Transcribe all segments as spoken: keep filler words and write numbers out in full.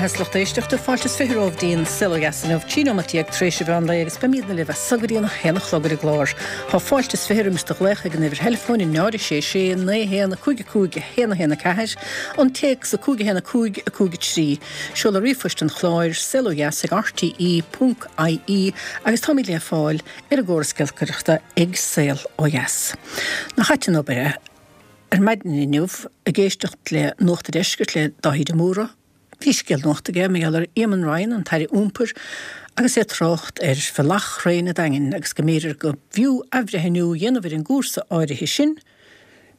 beatha lucht éisteachta fáilte is fiche romhaibh dtí'n Saol Ó Dheas inniu trí nóiméad déag tar éis an mheán lae agus beimidne libh as so go dtí an haon a chlog ar an gclár. Tá fáilte is fiche roimis do ghlaoch ag an uimhir theileafóin a náid a sé sé naoi haon a cúig a cúig a haon a haon a ceathair, an téacs a cúig a haon a cúig a cúig a trí. Seoladh ríomhphoist an chláir saol ó dheas ag rte ponc ie agus táimid le fáil ar an gcóras giolcaireachta ag Saol Ó Dheas. Nach ait an obair é? Ar maidin inniu ag éisteacht le Nuacht an Deiscirt le Dáithí de Mórdha, bhí scéal nuachta aige mar gheall ar Éamon Ryan, an tAire Iompair, agus é ag trácht ar bhealach thraein an Daingin agus go mb'fhéidir go bhfiú athbhreithniú a dhéanamh ar an gcúrsa áirithe sin,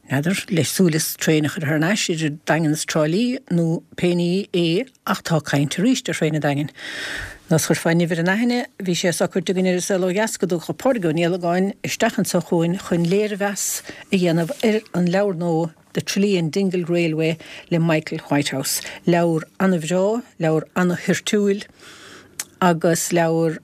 n'fheadar, le súil is traein a chur thar n-ais idir Daingean is Trá Lí nó pé ní é ach tá caint arís ar thraein an Daingin. Nó is chuirfeá nimh ar an aithne, bhí sé socair againn ar an Saol Ó Dheas go dtiocfadh Pádraig Ó Niallagáin isteach anseo chugainn chun léirmheas a dhéanamh ar an leabhar nua The Tralee and Dingle Railway le Michael Whitehouse. Leabhar an-bhreá, leabhar an-toirtiúil agus leabhar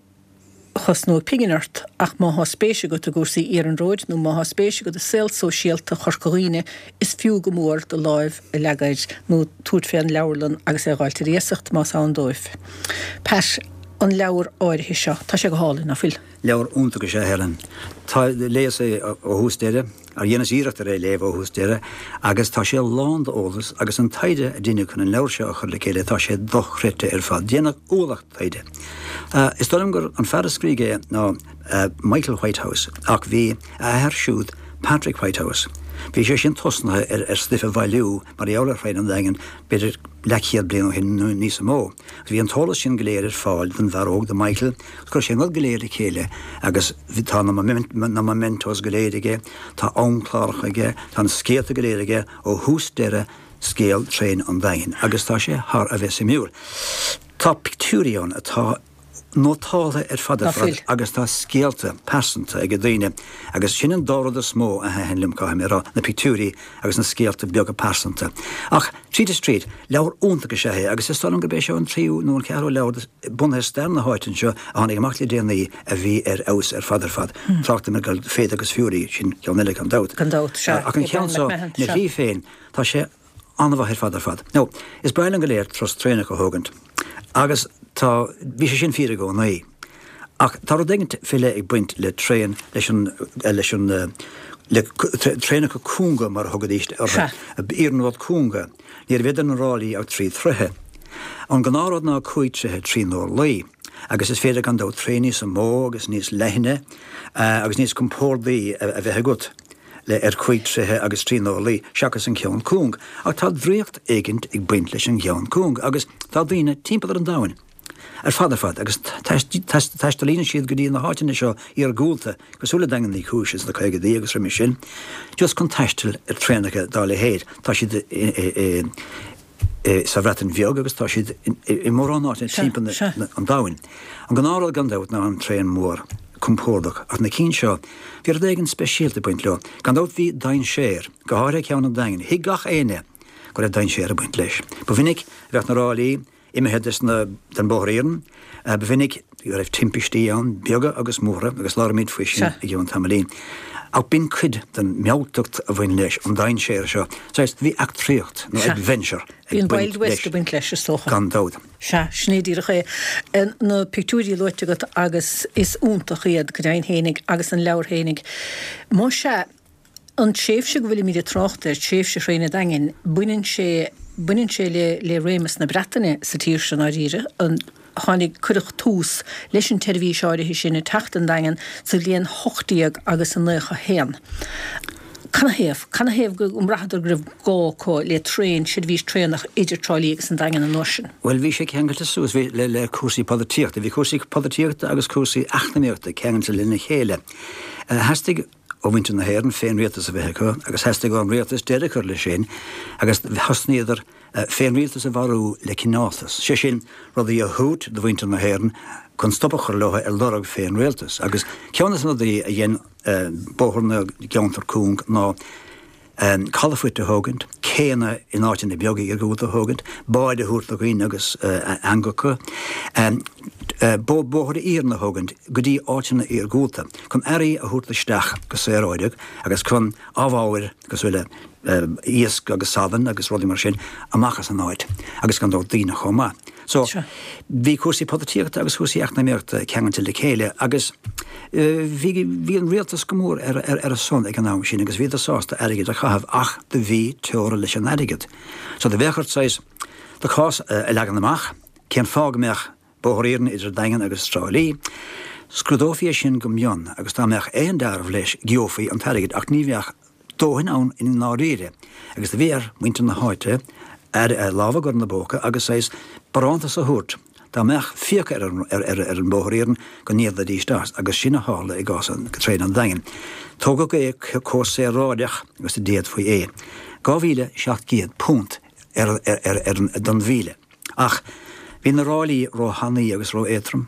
a chosnóidh pingin ort ach má thá spéis agat i gcúrsaí iarnróid nó má thá spéis agat i saol sóisialta Chorca Dhuibhne is fiú go mór do láimh a leagadh air nó tabhairt fén leabharlann agus é a dh'fháilt ar iasacht más ann dóibh. Pat, an leabhar áirithe seo, tá sé go hálainn, ná fuil? Leabhar iontach is ea é, Helen. Tá, léas é ó thús deireadh, ar dheineas iarracht ar é a léamh ó thús deireadh, agus tá sé lán d'eolas agus an taighde a deineadh chun an leabhar seo a chur le chéile, tá sé dochreidte ar fad. Déanadh ualach taighde. Is dóigh liom gur an fear a scrígh é ná Michael Whitehouse ach bhí a athair siúd, Patrick Whitehouse, bhí sé sin tosnaithe ar ar stuif a bhailiú mar gheall ar thraein an Daingin b'fhéidir leathchéad bliain ó shin nó níos mó. Agus bhí an t-eolas sin go léir ar fáil don bhfear óg, do Michael, agus chuir sé an rud go léir le chéile agus tá na na mementos go léir aige, tá amchláracha aige, tá na scéalta go léir aige ó thús deireadh scéal traein an Daingin agus tá sé thar a bheith suimiúil. Tá pictiúirí ann atá nótáltha ar fad ar fad agus tá scéalta pearsanta ag daoine agus sin an dá rud is mó a thaitin liom, caithfidh mé a rá, na pictiúirí agus na scéalta beaga pearsanta. Ach tríd is tríd, leabhar iontach is ea é agus is dóigh liom gurb é seo an tríú nó an ceathrú leabhar bunaithe ar stair na háite anseo a tháinig amach le déanaí a bhí ar fheabhas ar fad ar fad. Tráchtaim ar Faith agus Fury, sin ceann eile gan dabht. Gan dabht, sea. Ach an ceann seo, ina shlí féin, tá sé an-mhaith ar fad ar fad. Now, is breá linn go léir turas traenach a thógaint agus tá, bhí sé sin fíor i gcónaí. Ach tá rud éigin faoi leith ag baint le traein, leis an, leis an, le traenacha cúnga mar a thugaidís orthu, iarnród cúnga. Ní raibh idir na ráillí ach trí throithe. An gnáthrud ná cúig troithe trí n-orlaí. Agus is féidir gan dabht traein níos mó agus níos leithne agus níos compórdaí a bheith agat. le ar chúig troithe agus trí n-orlaí seachas an ceann cúng. Ach tá draíocht éigint ag baint leis an gceann cúng agus tá daoine timpeall ar an domhain ar fad ar fad agus taistealaíonn siad go dtí na háiteanna seo iargúlta, cosúil le Daingean Uí Chúis ins na caogaidí agus roimis sin, just chun taisteal ar traenacha dá leithéid. Tá siad i sa Bhreatain Bheag agus tá siad i mórán áiteanna timpeall an domhain. An gnáthrud gan dabht ná an traein mhór compordach ach na cinn seo, bhí rud éigin speisialta ag baint leo. Gan dabht bhí dainséar, go háirithe ceann an Daingin. Thuig gach éinne go raibh dainséar ag baint leis. Ba mhinic a bheadh na ráillí imithe des na, den bhóthar iarainn, ba mhinic go raibh timpistí ann, beaga agus móra, agus labhróimid faoi sin i gceann tamaillín. Ach b'in cuid den mealltacht a bhain leis, an dainséar seo. Saghas, bhí eachtraíocht nó adventure Bhí an Wild West ag baint leis, is dócha. Gan dabht. Sea, sin é díreach é. Na pictiúirí luaite agat agus is iontach iad, go deimhin fhéinig, agus an leabhar fhéinig. Más ea, an tréimhse go bhfuilimid ag trácht air, tréimhse Thraein an Daingin, baineann sé, baineann sé le, le réimeas na Breataine sa tír seo i ndáiríre. An. Tháinig, cuireadh tús leis an tseirbhís áirithe sin ag teacht an Daingean sa bhliain hocht déag agus a naocha haon. Canathaobh? Canathaobh go mbraitheadar go raibh gá acu le traein, seirbhís traenach idir Trá Lí agus an Daingean an uair sin? Bhuel, bhí sé ceangailte suas, bhí, le, le cúrsaí polaitíochta. Bhí cúrsaí polaitíochta agus cúrsaí eacnamaíochta ceangailte lena chéile. Theastaigh ó mhuintir na hÉireann féinrialtas a bheith acu agus theastaigh ón rialtas deireadh a chur leis sin agus thosnaíodar féinrialtas a mharú le cineáltas, sé sin, rudaí a thabhairt do mhuintir na hÉireann chun stop a chur leo ar lorg féinrialtas. Agus ceann de na rudaí a dhein bóthar na gceantar cúng ná calafoirt a thógaint, céanna in áiteanna beaga iargúlta a thógaint, báid a thabhairt do dhaoine agus eangacha, bóithre iarainn a thógaint go dtí áiteanna iargúlta chun earraí a thabhairt isteach go saoráideach agus chun amhábhair cosúil le iasc agus salann agus rudaí mar sin amach as an áit agus gan dabht daoine chomh maith. So bhí cúrsaí polaitíochta agus cúrsaí eacnamaíochta ceangailte le chéile agus bhí bhí an rialtas go mór ar ar ar a son ag an am sin agus bhíodar sásta airgead a chaitheamh ach do bhí teora leis an airgead. So do bheadh ort saghas do chás a leagan amach, cén fáth go mbeadh bóthar iarainn idir Daingean agus Trá Lí. Scrúdófaí é sin go mion agus dá mbeadh aon dealramh leis gheofaí an t-airgead ach ní bheadh dóthain ann i ndáiríre agus do bhí ar mhuintir na háite ar lámh a chur ina bpóca agus saghas barántas a thabhairt dá mbeadh fiacha ar an, ar, ar, ar an mbóthar iarainn go n-íocfaidís as agus sin a tharla i gcás an traein an Daingin. Tógadh é chomh saoráideach agus a d'fhéadfaí é. dhá mhíle seacht gcéad punt ar, ar, ar, ar, don mhíle. Ach bhí na ráillí róthanaí agus ró-éadtrom.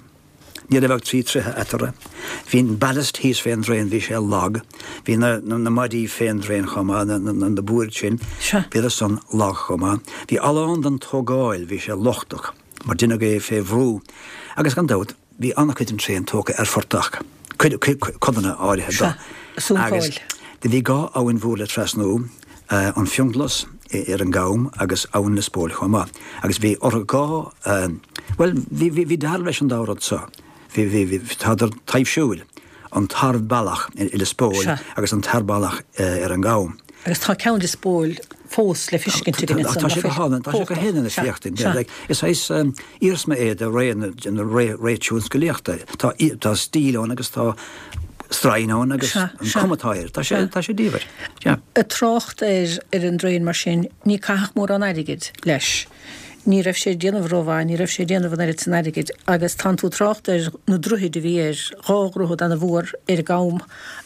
Ní raibh ach trí troithe eatarthu. Bhí an ballast thíos fén dtraein, bhí sé lag. Bhí na, na, na maidí fén dtraein chomh maith, na, na, na boird sin, bhíodar san lag chomh maith. Bhí a lán den tógáil, bhí sé lochtach, mar deineadh é fé bhrú. Agus gan dabht, bhí an-chuid den traein tógtha ar phortach, cuid, cuid, codanna áirithe dó. Agus do bhí dhá abhainn mhór le trasnú, an Fionnghlas ar an gCam agus Abhainn Lios Póil chomh maith. Agus bhí orthu dhá, bhuel, bhí, bhí, bhí dealramh leis an dá rud seo. Bhí, bhí, bhí, tádar taibhsiúil, an Tarbhealach i Lios Póil agus an Tarbhealach ar an gCam. Agus tá ceann Lios Póil fós le feiscint againn ansan. Tá sé go hálainn, tá sé go hálainn le féachtaint. Is saghas iarsma é de ré na ré ré tionsclaíochta. Tá tá stíl ann agus tá stroighin ann agus an cuma atá air. Tá sé tá sé diamhair. Ag trácht ar ar an dtraein mar sin, ní caitheadh mórán airgid leis. Ní raibh sé ag déanamh rómhaith, ní raibh sé ag déanamh an oiread san airgid agus tánn tú ag trácht ar na droichid a bhí air, dhá dhroichead ana-mhór ar an gCam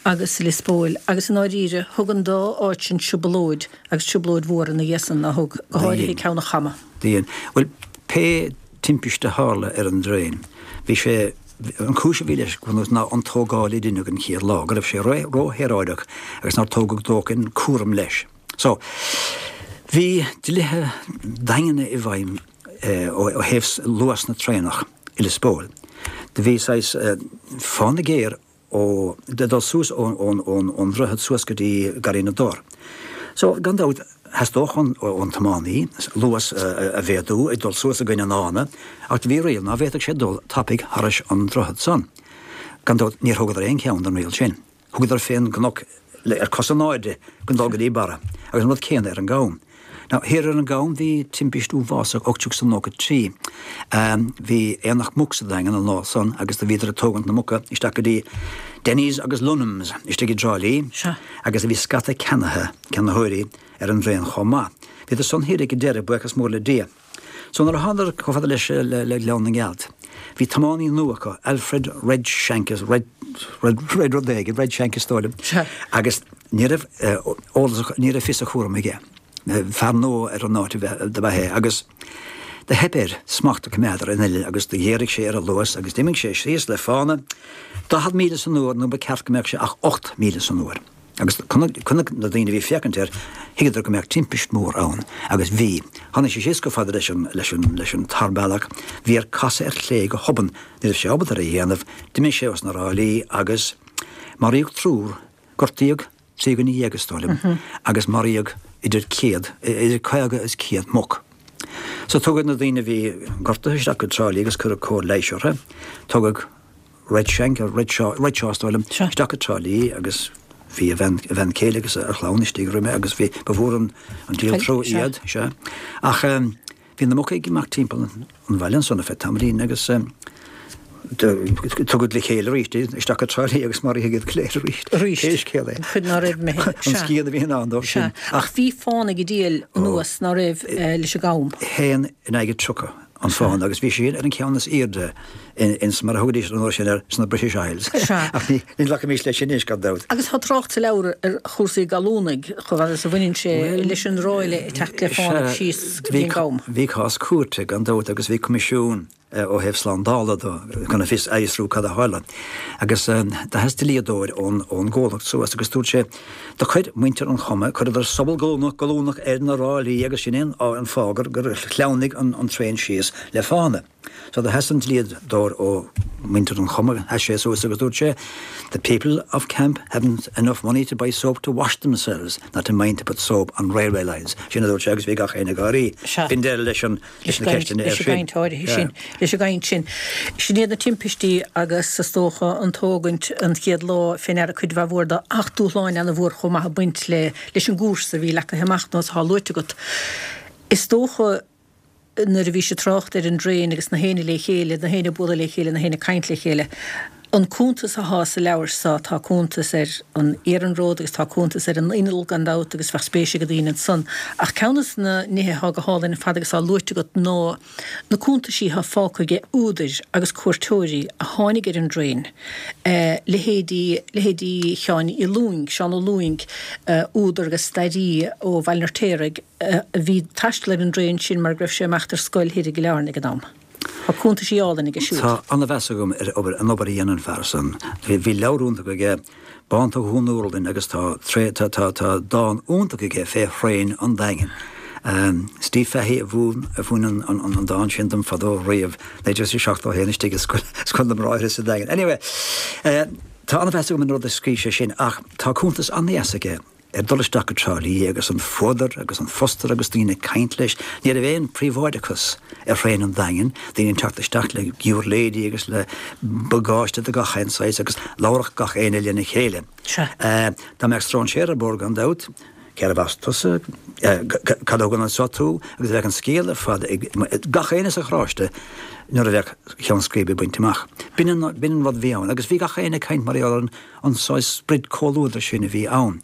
agus i Lios Póil agus i ndáiríre thug an dá áit sin trioblóid agus trioblóid mhór ina dhiaidh san, a thug, go háirithe ceann an Chama. Dhein. Bhuel, pé timpiste a tharla ar an dtraein, bhí sé, an chúis a bhí leis go bunúsach ná an tógáil a deineadh an chéad lá, go raibh sé ró-shaoráideach agus nár tógadh dóthain cúram leis. So, bhí dlíthe daingne i bhfeidhm ó thaobh luas na traenach i Lios Póil. Do bhí saghas fána géar ó, de dul suas ón, ón, ón, ón droichead suas go dtí Garraí na dTor. So, gan dabht, theastódh ón, ón tiománaí luas a mhéadú ag dul suas i gcoinne an fhána, ach do bhí riail ná bhféadfadh sé dul tapaidh thairis an droichead san. Gan dabht, níor thógadar aon cheann den riail sin. Thugadar fén gcnoc ar cosa in airde chun dul go dtí barra, agus an rud céanna ar an gCam. Now, thiar ar an gCam bhí timpist uafásach ocht déag is nócha trí. Bhí aonach muc sa Daingean an lá san agus do bhíodar ag tógaint na muca isteach go dtí Denny's agus Lunham's istigh i dTrá Lí agus do bhí scata ceannaithe, ceannaitheoirí, ar an dtraein chomh maith. Bhíodar san thiar ag an deireadh, buíochas mór le Dia. So nuair a thánadar chomh fada leis le Gleann na nGealt, bhí tiománaí nua acu, Alfred Red Shank, Red, Red, Red rud éigin, Red Shank is dóigh liom, agus ní raibh eolas, ní raibh fios a chúraim aige. Fear nua ar an áit do b'ea é agus do theip air smacht a choimeád ar an uillinn agus do ghéaraigh sé ar an luas agus d'imigh sé síos le fána daichead míle san uair nuair ba ceart go mbeadh sé ach ocht míle san uair. Agus chonaic na daoine a bhí ag féachaint air, thuigeadar go mbeadh timpist mhór ann. Agus bhí. Tháinig sé síos chomh fada leis an, leis an, leis an tarbhealach. Bhí air casadh ar chlé go hobann. Ní raibh sé ábalta ar a dhéanamh. D'imigh sé os na ráillí agus maraíodh triúr, gortaíodh trí dhuine dhéag is dóigh liom, agus maraíodh idir céad, idir caoga is céad muc. So tugadh na daoine a bhí gortaithe isteach go Trá Lí agus cuireadh cóir leighis orthu. Tugadh Red Shank, Red Shaw, Red Shaw is dóigh liom, isteach go Trá Lí agus bhí a bhean, a bhean chéile agus a chlann istigh roimhe agus bhí, ba mhór an, an díol trua iad, sea. Ach bhí na muca ag imeacht timpeall an bhaile ansan ar feadh tamaillín agus tugadh le chéile arís iad isteach go Trá Lí agus maraíodh iad go léir arís. Arís. Pé scéal é. An chuid ná raibh imithe. An scian a bhí in ann dóibh sin. Ach bhí fána ag díol anuas ná raibh leis an gCam. Haon in aghaidh tríocha an fána agus bhí sé sin ar an cheann is airde ins, mar a thugaidís an uair sin air, sna British Isles. Sea. Ach ní ghlacaimis leis anois, gan dabht. Agus tá trácht sa leabhar ar chúrsaí gallúnaigh, chomh fada is a bhaineann sé leis an ráille ag teacht le fána síos go dtí an gCam. Bhí cás cúirte, gan dabht, agus bhí coimisiún ó thaobh slándála de chun a fios a fhiosrú cad a tharla. Agus do sheas dlíodóir ón ón gcomhlacht suas agus dúirt sé, Do chuir muintir an Choma, chuireadar sobal goilliúnach goilliúnach ar na ráillí agus sin é an fáth gur gur shleamhnaigh an an traein síos le fána. So do sheas an dlíodóir ó mhuintir an Choma, sheas sé suas agus dúirt sé, The people of Camp haven't enough money to buy soap to wash themselves, not to mind to put soap on railway lines. Sin a dúirt sé agus bhí gach éinne ag gáirí. B'in deireadh leis an leis na ceisteanna air sin. Sin leis an gcaint sin. Sin iad na timpistí agus is dócha an tógaint an chéad lá fé ndeara cuid mhaith mhór de ach dúshláin ana-mhór chomh maith ag baint le leis an gcúrsa a bhí leagtha amach nó atá luaite agat. Is dócha nuair a bhís ag trácht ar an dtraein agus na héinne le chéile, na héinne ag bualadh le chéile, na héinne ag caint le chéile. An cuntas athá sa leabhar so, tá cuntas ar an iarnród agus tá cuntas ar an inneall gan dabht agus bheadh spéis ag daoine ansan. Ach ceann des na nithe athá go hálainn ar fad agus á luaite agat ná na cuntaisí athá fágtha ag údair agus cuairteoirí a tháinig ar an dtraein, leithéidí, leithéidí Sheáin Uí Lúing, Seán Ó Lúing, údar agus stairí ó Bhaile an Fheirtéaraigh, a bhí ag taisteal ar an dtraein sin mar go raibh sé ag imeacht ar scoil thoir i gCill Airne ag an am. Tá cuntaisí álainn aige siúd. Tá an-mheas agam ar obair, an obair a dhein an fear san. Bhí, bhí leabhar iontach aige, Bánta Dhún Úrlainn agus tá, tá, tá, tá dán iontach aige fé thraein an Daingin. Steve Fahey a mhúin, a mhúin an, an, an dán sin dom fadó riamh, naoi déag seachtó a haon istigh i scoil, Scoil na mBráithre sa Daingean. Anyway, tá an-mheas agam ar an rud a scríobh sé sin ach tá cuntas an-dheas aige ar dul isteach go Trá Lí agus an fuadar agus an fustar agus daoine ag caint leis. Ní raibh aon phríobháideachas ar thraein an Daingin, daoine ag teacht isteach le giúirléidí agus le bagáiste de gach aon saghas agus labharfadh gach éinne lena chéile. Dá mbeadh stróinséir ar bord gan dabht, cérbh as tusa, cad a thugann anso tú agus bheadh an scéal ar fad ag gach éinne sa charráiste nuair a bheadh ceann scríbe bainte amach. B'in an rud a bhí ann agus bhí gach éinne ag caint mar gheall ar an saghas sprid comhluadair sin a bhí ann.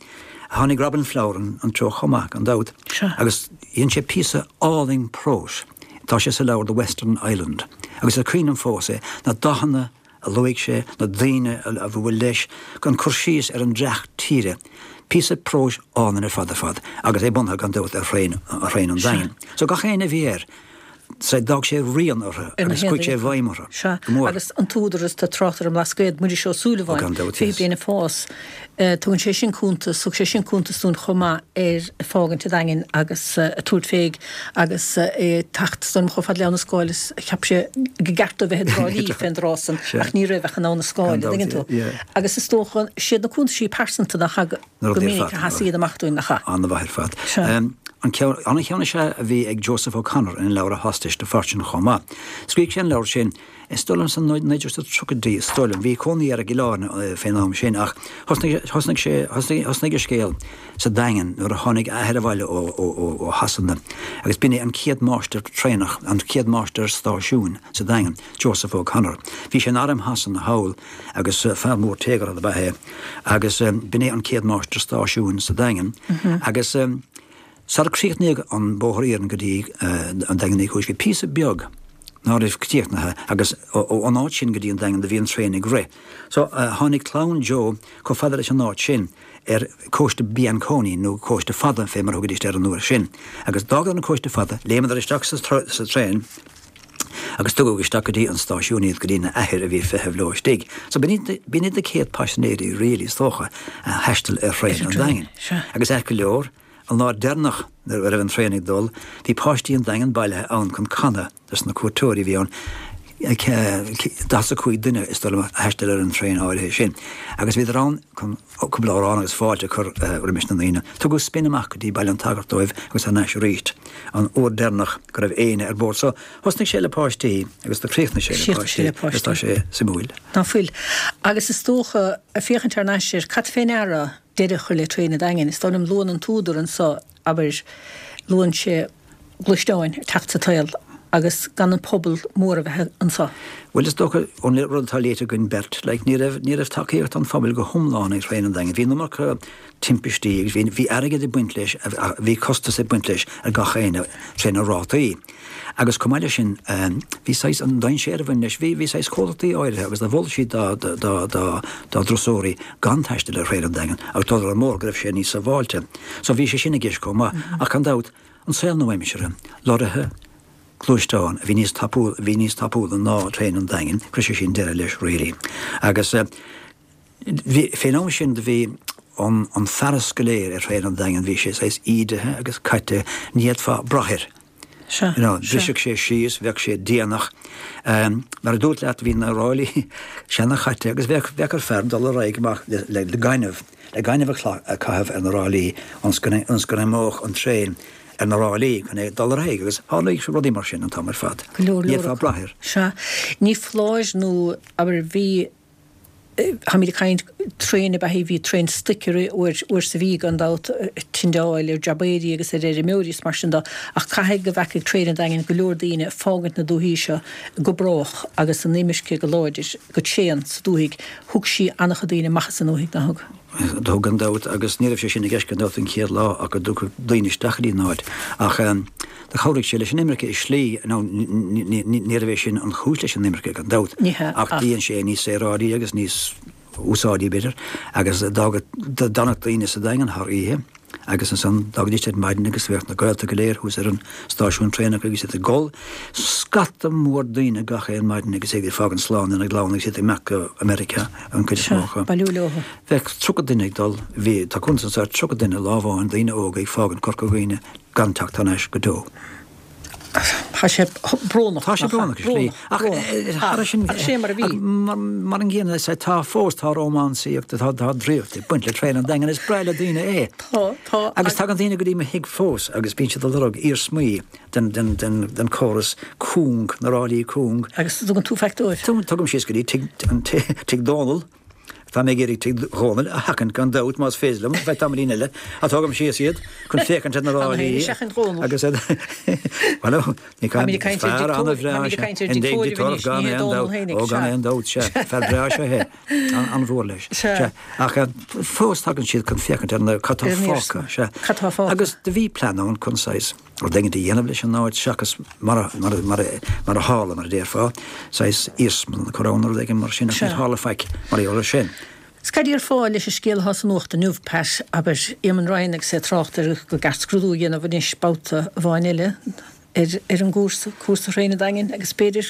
Tháinig Robin Flower an treo chomh maith, gan dabht, agus dhein sé píosa álainn próis, tá sé sa leabhar The Western Island, agus is cuimhin liom fós é, na dathanna a luaigh sé, na daoine a bhuail leis, an cur síos ar an dreach tíre, píosa próis álainn ar fad ar fad, agus é bunaithe gan dabht ar thraein an Daingin. So gach éinne a bhí air. Sea, d'fhág sé rian orthu agus chuaigh sé i bhfeidhm orthu. Sea, agus an t-údar is tú ag trácht ar an mBlascaod, Muiris Ó Súilleabháin, fiche bliain ag fás, tugann sé sin cuntas, thug sé sin cuntas dúinn chomh maith ar fágaint an Daingin agus ag tabhairt fé agus é ag teacht is dóigh liom chomh fada le Abha na Scáil is cheap sé go gceart dó bheith i dTrá Lí fén dtráth san ach ní raibh ach in Abha na Scáil, an dtuigeann tú. Agus is dócha, siad na cuntaisí pearsanta nach go minic a sheas iad amach dúinn, nach ea? An-mhaith ar fad. An ceann is ea a bhí ag Joseph O'Connor ina leabhar A Hostage to Fortune chomh maith. Scríobh sé an leabhar sin, is dóigh liom, sna naoi déag tríochaidí, is dóigh liom. Bhí cónaí air i gCill Airne fén am sin ach thosnaigh sé, thosnaigh a scéal sa Daingean nuair a tháinig a athair abhaile ó Shasana agus b'in é an chéad máistir traenach, an chéad máistir stáisiúin sa Daingean, Joseph O'Connor. Bhí sé in arm Shasana thall agus fear mór téagartha ab ea é agus b'in é an chéad máistir stáisiúin sa Daingean agus Sar críochnaíodh an bóthar iarainn go dtí an Daingean Uí Chúis bhí píosa beag ná raibh críochnaithe agus ón áit sin go dtí an Daingean do bhí an traein ag rith. So tháinig clann Joe chomh fada leis an áit sin ar cóiste Bianconi nó cóiste fada fé mar a thugaidís air an uair sin. Agus d'fhágadar an cóiste fada, léimeadar isteach sa traein agus tugadh isteach go dtí an stáisiún iad go dtí na athair a bhí ag feitheamh leo istigh. So b'in iad na céad paisinéirí really is dócha a thaistil ar thraein an Daingin. Agus ait go leor, An lá deireanach nuair a raibh an traein ag dul, bhí páistí an Daingin bailithe ann chun canadh dos na cuairteoirí a bhí ann, daichead is a cúig duine is dóigh liom a thaistil ar an traein áirithe sin, agus bhíodar ann chun cúpla amhrán agus fáilte a chur roimis na ndaoine. Tugadh spin amach go dtí Baile an tSagairt dóibh agus thar n-ais arís an uair deireanach go raibh éinne ar bord. So, thosnaigh sé le páistí agus do chríochnaigh sé le páistí agus tá sé suimiúil. Ná fuil. Agus is dócha, ag féachaint thar n-ais air, cad fé ndeara deireadh a chur le Traein an Daingin. Is dóigh liom, luann an t-údar anso, abair, luann sé gluaisteáin ag teacht sa tsaol agus gan an pobal mór a bheith anso. Bhuel, is dócha, ón rud atá léite againn beirt, like, ní raibh, ní raibh tacaíocht an phobail go hiomlán ag Traein an Daingin. Bhí an iomarca timpistí agus bhí, bhí airgead ag baint leis, bhí costas ag baint leis ar gach éinne tré na rátaí. Agus chomh maith leis sin, bhí saghas, an dainséar a bhain leis, bhí, bhí saghas comhlachtaí áirithe agus do mhol siad dá, dá, dá, dá, dá dturasóirí gan taisteal ar Thraein an Daingin agus dul ar an mbóthar go raibh sé níos sábháilte. So bhí sé sin i gceist chomh maith. Ach gan dabht, an saol nua-aimseartha, lorraithe, gluaisteán a bhí níos tapúla, a bhí níos tapúla ná traein an Daingin, chuir sé sin deireadh leis really. Agus bhí, fén am sin do bhí an, an fearas go léir ar thraein an Daingin, bhí sé saghas ídithe agus caite, ní fhéadfá brath air. Sea, You know, sea. bhriseadh sé síos, bheadh sé déanach. Mar a dúirt leat, bhí na ráillí seana-chaite agus bheadh, bheadh ar fear dul ar aghaidh amach le, le, le gaineamh, le gaineamh a, a chaitheamh ar na ráillí ionas go, ionas go n-imeodh an traein ar na ráillí chun é dul ar aghaidh agus tharlaigh rudaí mar sin an t-am ar fad. Go leor Ní leor fhéadfá acu. brath air. Sea. Ní foláir nó, abair, bhí, táimid ag caint traein ab ea í, bhí traein stoic uair, uair sa mhí gan dabht, ag tindeáil ar jabaeirí agus ar fheirmeoirí is mar sin de, ach caithfidh go bhfeacaigh traein an Daingin go leor daoine ag fágaint na dúthaí seo go brách agus an imirce go láidir, go tréan sa dúthaigh. Thug sí an-chuid daoine amach as an ndúthaigh, nár thug? Thug gan dabht agus ní raibh sé sin i gceist gan dabht an chéad lá ach go dtiocfadh daoine isteach go dtí an áit ach do chabhraigh sé leis an imirce i slí, nó ní raibh é sin an chúis leis an imirce gan dabht Ní hea, ach ach. dhein sé níos saoráidí agus níos úsáidí b'fhéidir agus d'fhágadh, d'fhanadh daoine sa Daingean thar oíche agus ansan d'fhágaidís ar maidin agus bheadh na gaolta go léir thuas ar an stáisiún traenach agus iad ag gol. Scata mór daoine gach aon maidin agus iad ag fágaint slán lena gclann agus iad ag imeacht go America an cuid is mó acu. Bailiú leo. Bheadh tríocha duine ag dul, bhí, tá cuntas anso ar tríocha duine lá amháin, daoine óga ag fágaint Corca Dhuibhne gan teacht thar n-ais go deo. Tá sé brónach. Tá sé brónach i slí. Ach thar sin Ach sé mar a bhí. Mar an gcéanna tá fós tá rómánsaíocht tá tá draíocht ag baint le traein an Daingin is breá le daoine é. Tá tá Agus tagann daoine go dtí mo thigh fós agus bíonn siad ag lorg iarsmaí den den den den córas cúng na ráillí cúng. Agus tugann tú faic dóibh. Tugaim síos go dtí tigh an tigh Dónall Tá mé ag iarraidh tigh Dhónaill a sheachaint gan dabht más féidir liom, bheith tamaillín eile, ach tugaim síos iad chun féachaint ar na Tá mé ráillí féin ag seachaint Dhónall. agus Bhuel, ní Táimid ag caint ar fear dictóir- an-bhreá táimid ag sé. caint ar An dictóir dictóir anois, gan ní hé aon Dónall dabht. féinig, Ó gan sea. aon dabht, sea. Fear breá sé é. An- An-mhór leis. Sea. Sea. Ach eh, fós tagann siad chun féachaint ar na cad tá Ar an fágtha, iarsma. sea. Cad tá fágtha. Agus do bhí plean ann chun saghas rud éigin a dhéanamh leis an áit seachas mar a mar a mar a mar a tharla mar a déarfá, saghas iarsmalann a chur ann nó rud éigin mar sin ach Sea. níor tharla faic mar gheall air sin. 'S cad déarfá leis an scéal atá sa nuacht inniu, Pat, abair, Éamon Ryan agus é ag trácht ar go gceart scrúdú a dhéanamh anois babhta amháin eile ar ar an gcúrsa, cúrsa thraein an Daingin agus b'fhéidir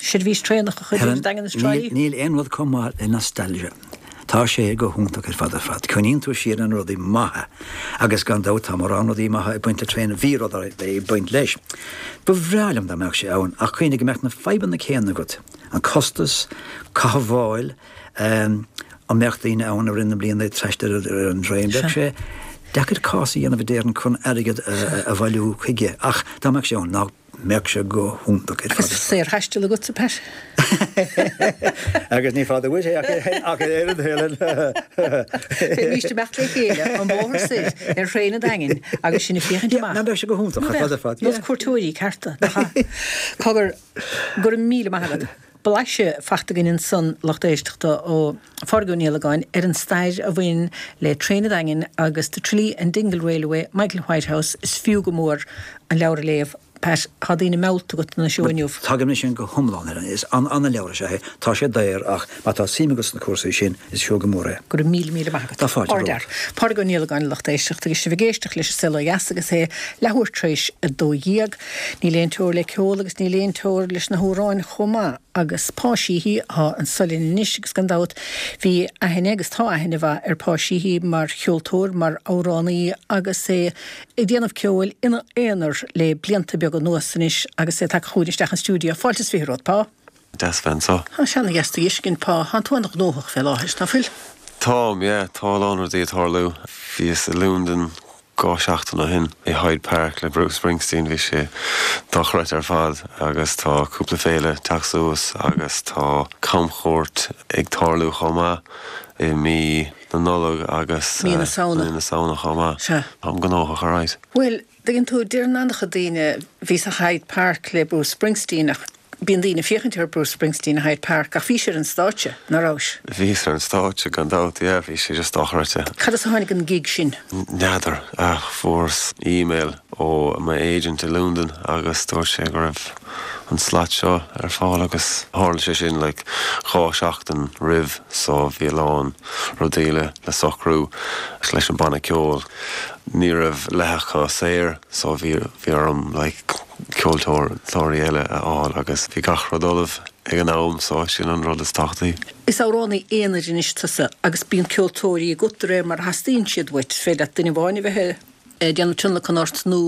seirbhís traenach a chur idir Helen, an Daingean agus Trá níl Lí. níl aon rud chomh maith le nostalgia. Tá sé go hiontach ar fad ar fad. Cuimhníonn tú siar ar na rudaí maithe agus gan dabht tá mórán rudaí maithe ag baint le traein bhí rudaí ag baint leis. Ba bhreá liom dá mbeadh sé ann ach cuimhnigh go mbeadh na fadhbanna céanna agat. An costas, cothabháil, um, an mbeadh daoine ann i rith na bliana ag taisteal ar ar an traein. Bheadh sé deacair cás a dhéanamh a déarfainn chun airgead a, a bhailiú chuige ach dá mbeadh sé ann ná mbeadh sé go hiontach ar Agus fad. saorthaisteal agatsa, Pat. Agus ní fada uait é ach ach ar Helen. Bheimís ag imeacht le chéile an bóthar soir ar thraein an Daingin agus sin ag féachaint Yeah, amach. ná beidh sé go hiontach ar fad ar fad. Nós cuairteoirí cearta. nach ea? Cogar go raibh míle maith agat. Blaiseadh faighte againn ansan lucht éisteachta ó Phádraig Ó Niallagáin ar an stair a bhain le traein an Daingin agus the Tralee and Dingle Railway, Michael Whitehouse, is fiú go mór an leabhar a léamh. Pat, tá daoine meallta agat na seo inniu. Tagaim leis sin go hiomlán ar is an an-leabhar sé é. Tá sé daor ach má tá suim agat sna cúrsaí sin is fiú go mór é. Go raibh míle míle maith agat. Tá fáilte Ardfhear. Pádraig Ó Niallagáin lucht éisteachta agus sibh ag éisteacht leis an Saol Ó Dheas agus é leathuair tar éis a dó dhéag. Níl aon teora le ceol agus níl aon teora leis na hamhráin chomh maith agus Pa Sheehy atá anso linn anois agus gan dabht bhí aithne agus tá aithne mhaith ar Pa Sheehy mar cheoltóir mar amhránaí agus é ag déanamh ceoil ina aonar le blianta beaga anuas anois agus é tagtha chugainn isteach an stiúideo. Fáilte is fiche romhat Pa. Deas bheith anseo. Tá seana-gheasta dhiscin Pa, Tá tú an-ghnóthach fé láthair, ná fuil? Táim, yeah, tá a lán rudaí ag tarlú. Bhíos i Londain dhá seachtain ó shin i Hyde Park le Bruce Springsteen bhí sé dochreidte ar fad agus tá cúpla féile ag teacht suas agus tá camchuairt ag tarlú chomh maith i mí na Nollag agus Mí na eh, Samhna. mí na Samhna chomh maith. Sea. Táim gnóthach alright. Well, tuigeann tú deir an-chuid daoine bhí sa Hyde Park le Bruce Springsteen ach bíonn daoine féachaint ar Bruce Springsteen i Hyde Park ach bhí sé ar an stáitse nach raibh. Bhíos ar an stáitse gan dabht, yeah, bhí sé just dochreidte. Cad as a tháinig an gig sin? N'fheadar ach fuaireas email ó my agent i Londain agus dúirt sé go raibh an slot seo ar fáil agus tharla sé sin like dhá seachtain roimh so bhí a lán rudaí le le socrú leis an banna ceoil. Ní raibh leath acu saor so bhí bhí orm like ceoltóirí eile a fháil agus bhí gach rud ullamh ag an am so sin an rud is tábhachtaí. Is amhránaí aonair anois tusa agus bíonn ceoltóirí agat de réir mar a theastaíonn siad uait, féidir leat duine amháin a bheith ag déanamh tionlacan ort nó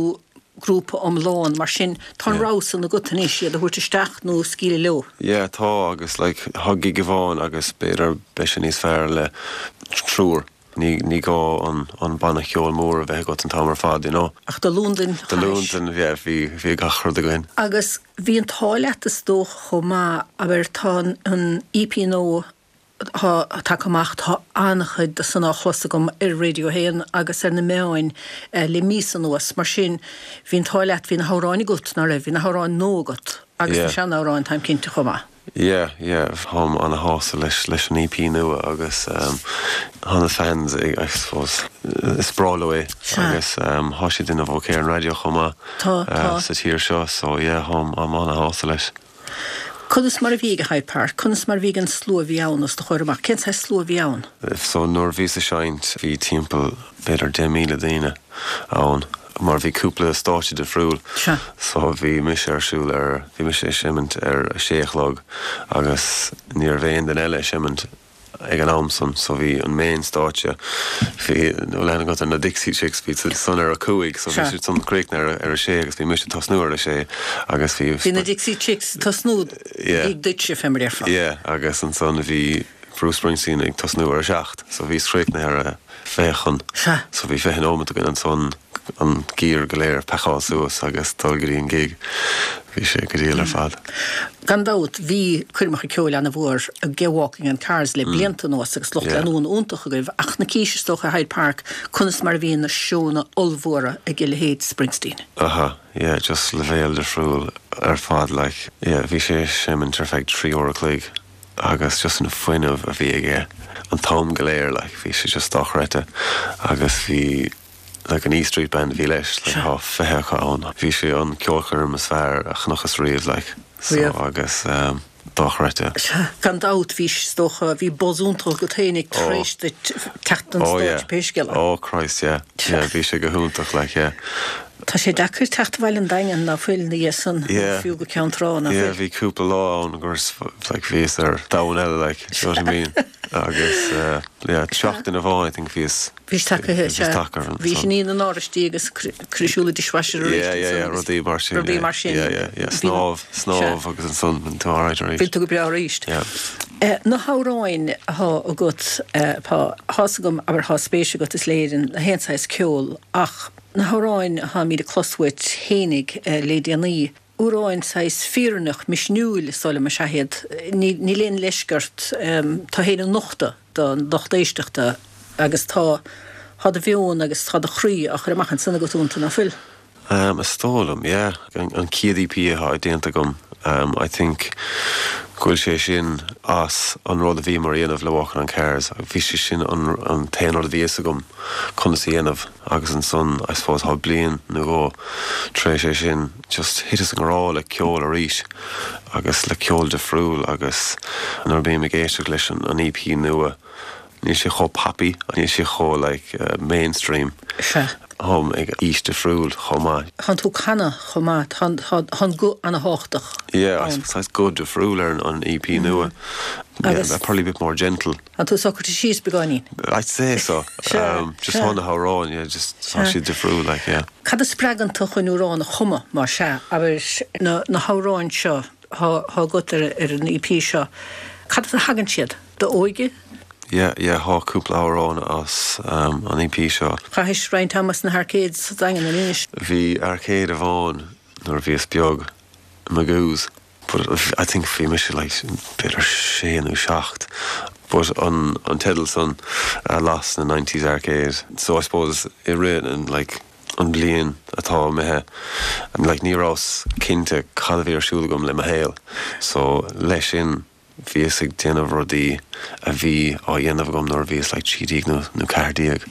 grúpa iomlán, mar sin tá an rogha san agat anois iad a thabhairt isteach nó scaoileadh leo. Yeah, tá agus like thá gig amháin agus b'fhéidir beidh sé níos fearr le triúr. Ní ní gá an an banna ceoil mór a bheith agat an t-am ar fad, you know. Ach do Londain Do Londain, yeah, bhí bhí gach rud againn. Agus bhí an t-ádh leat is dócha chomh maith, abair tá an EP nua atá tagtha amach, tá an-chuid de san á chlos agam ar Radio a haon agus ar na meáin le míosa anuas. Mar sin, bhí an t-ádh leat, bhí na hamhráin agat, ná raibh? Bhí na hamhráin nua agat agus na seanamhráin, táim cinnte chomh maith. Yeah, yeah, táim ana-shásta leis leis an EP nua agus tá na fans I suppose is breá leo é agus tá sé ag déanamh okay ar an raidió chomh maith sa tír seo so yeah, táim ana-shásta leis. Conas mar a bhí ag Hyde Park? Conas mar a bhí ag an slua a bhí ann os do chomhair amach? Cén saghas slua a bhí ann? So nuair a bhíos ag seinnt bhí timpeall b'fhéidir deich míle daoine ann mar bhí cúpla stáitse difriúil. Sea. So bhí mise ar siúl ar, bhí mise ag seimint ar a sé a chlog agus ní raibh aon duine eile ag seimint ag an am san so bhí an main stáitse, bhí an aithne agat ar na Dixie Chicks, bhí siad san ar a cúig so bhí siad san críochnaithe ar a sé agus bhí mise ag tosnú ar a sé agus bhí. Bhí na Dixie Chicks ag tosnú ag duitse fé mar a déarfá. Yeah agus ansan bhí Bruce Springsteen ag tosnú ar a seacht so bhíos críochnaithe ar a fiche chun. Sea. So bhí fiche nóiméad againn ansan an gear go léir a phacáil suas agus dul go dtí an gig. Bhí sé go diail ar fad. Gan dabht, bhí coirmeacha ceoil ana-mhór ag Walking on Cars le blianta anuas agus lucht leanúna iontach agaibh, ach na cís is dócha i Hyde Park, conas mar a bhíonn na seónna ollmhóra ag a leithéid Springsteen? Aha, yeah, just leibhéal difriúil ar fad, like, yeah, bhí sé ag seimint ar feadh trí uair a chloig agus just an fuinneamh a bhí aige an t-am go léir, like, bhí sé just dochreidte agus bhí like an E Street Band a bhí leis, like thá fiche acu ann. Bhí sé an ceolchoirm is fearr a chonacthas riamh, like, so agus um, dochreidte. Sea, gan dabht bhí, is dócha, bhí buzz iontach agat fhéinig tar éis duit teacht don stáitse pé scéal é. Oh Christ, yeah. Yeah, bhí sé go hiontach, like, yeah. Tá sé deacair teacht abhaile ón Daingean ná fuil ina dhiaidh san, nó fiú go Ceann Trá, ná fuil? Yeah, bhí cúpla lá ann gur, like, bhíos ar domhan eile, like, do you know what I mean? Agus, yeah, seachtain amháin, I think, bhíos. Bhís tagtha, sea. Bhís ag ní na n-oráistí agus cur ar siúl an dishwasher arís Yeah, yeah, yeah, rudaí mar sin. Rudaí mar sin. Yeah, yeah, yeah, snámh, snámh agus ansan bíonn tú alright arís. Bíonn tú go breá arís. Yeah. Na hamhráin athá agat, tá fhios agam, abair, thá spéis agat is léir in aon saghas ceol ach na hamhráin atháimid ag clos uait fhéinig le déanaí, amhráin saghas fírinneach, misniúil is dóigh liom is ea iad. Níl aon leisce ort tú fhéin a nochtadh don lucht éisteachta agus tá tá do mheon agus tá do chroí á chur amach ansan agat iontu, ná fuil? Is dóigh liom, yeah. An chéad EP atá déanta agam, I think go bhfuil sé sin as an rud a bhíomar a dhéanamh le Walking on Cars. Bhí sé sin an t-aon rud a bhí fhios agam conas a dhéanamh agus ansan I suppose thá bliain nó dhó tar éis é sin just thiteas i ngrá le ceol arís agus le ceol difriúil agus nuair a bím ag éisteacht leis an EP nua níl sé chomh poppy, níl sé chomh like mainstream. Sea. Táim ag aois difriúil chomh maith. Tánn tú ag canadh chomh maith, tá an guth ana-thábhachtach Yeah, ann. saghas guth difriúil ar an EP nua. Yeah, Agus- probably a bit more gentle. Tánn tú socraithe síos beagáinín. I'd say so. Sea, Just sea. thá na hamhráin, yeah, just tá Sea. siad difriúil, like, yeah. Cad a spreagann tú chun amhrán a chumadh, má sea, abair na na hamhráin seo thá agat ar ar an EP seo, cad as a thagann siad? D'óige? Yeah, yeah, thá cúpla amhrán as an EP seo. Chaithis roinnt ama sna arcades sa Daingean ar Inis. Bhí arcade amháin nuair a bhíos beag, Magoo's, but I think bhí mise like b'fhéidir sé nó seacht, but an an teideal san Lost in a Nineties Arcade, so I suppose i rith an like an bliain atá imithe like ní rabhas cinnte cad a bhí ar siúl agam le mo shaol, so leis sin bhíos ag déanamh rudaí a bhí á dhéanamh agam nuair a bhíos like trí déag nó nó ceathair déag.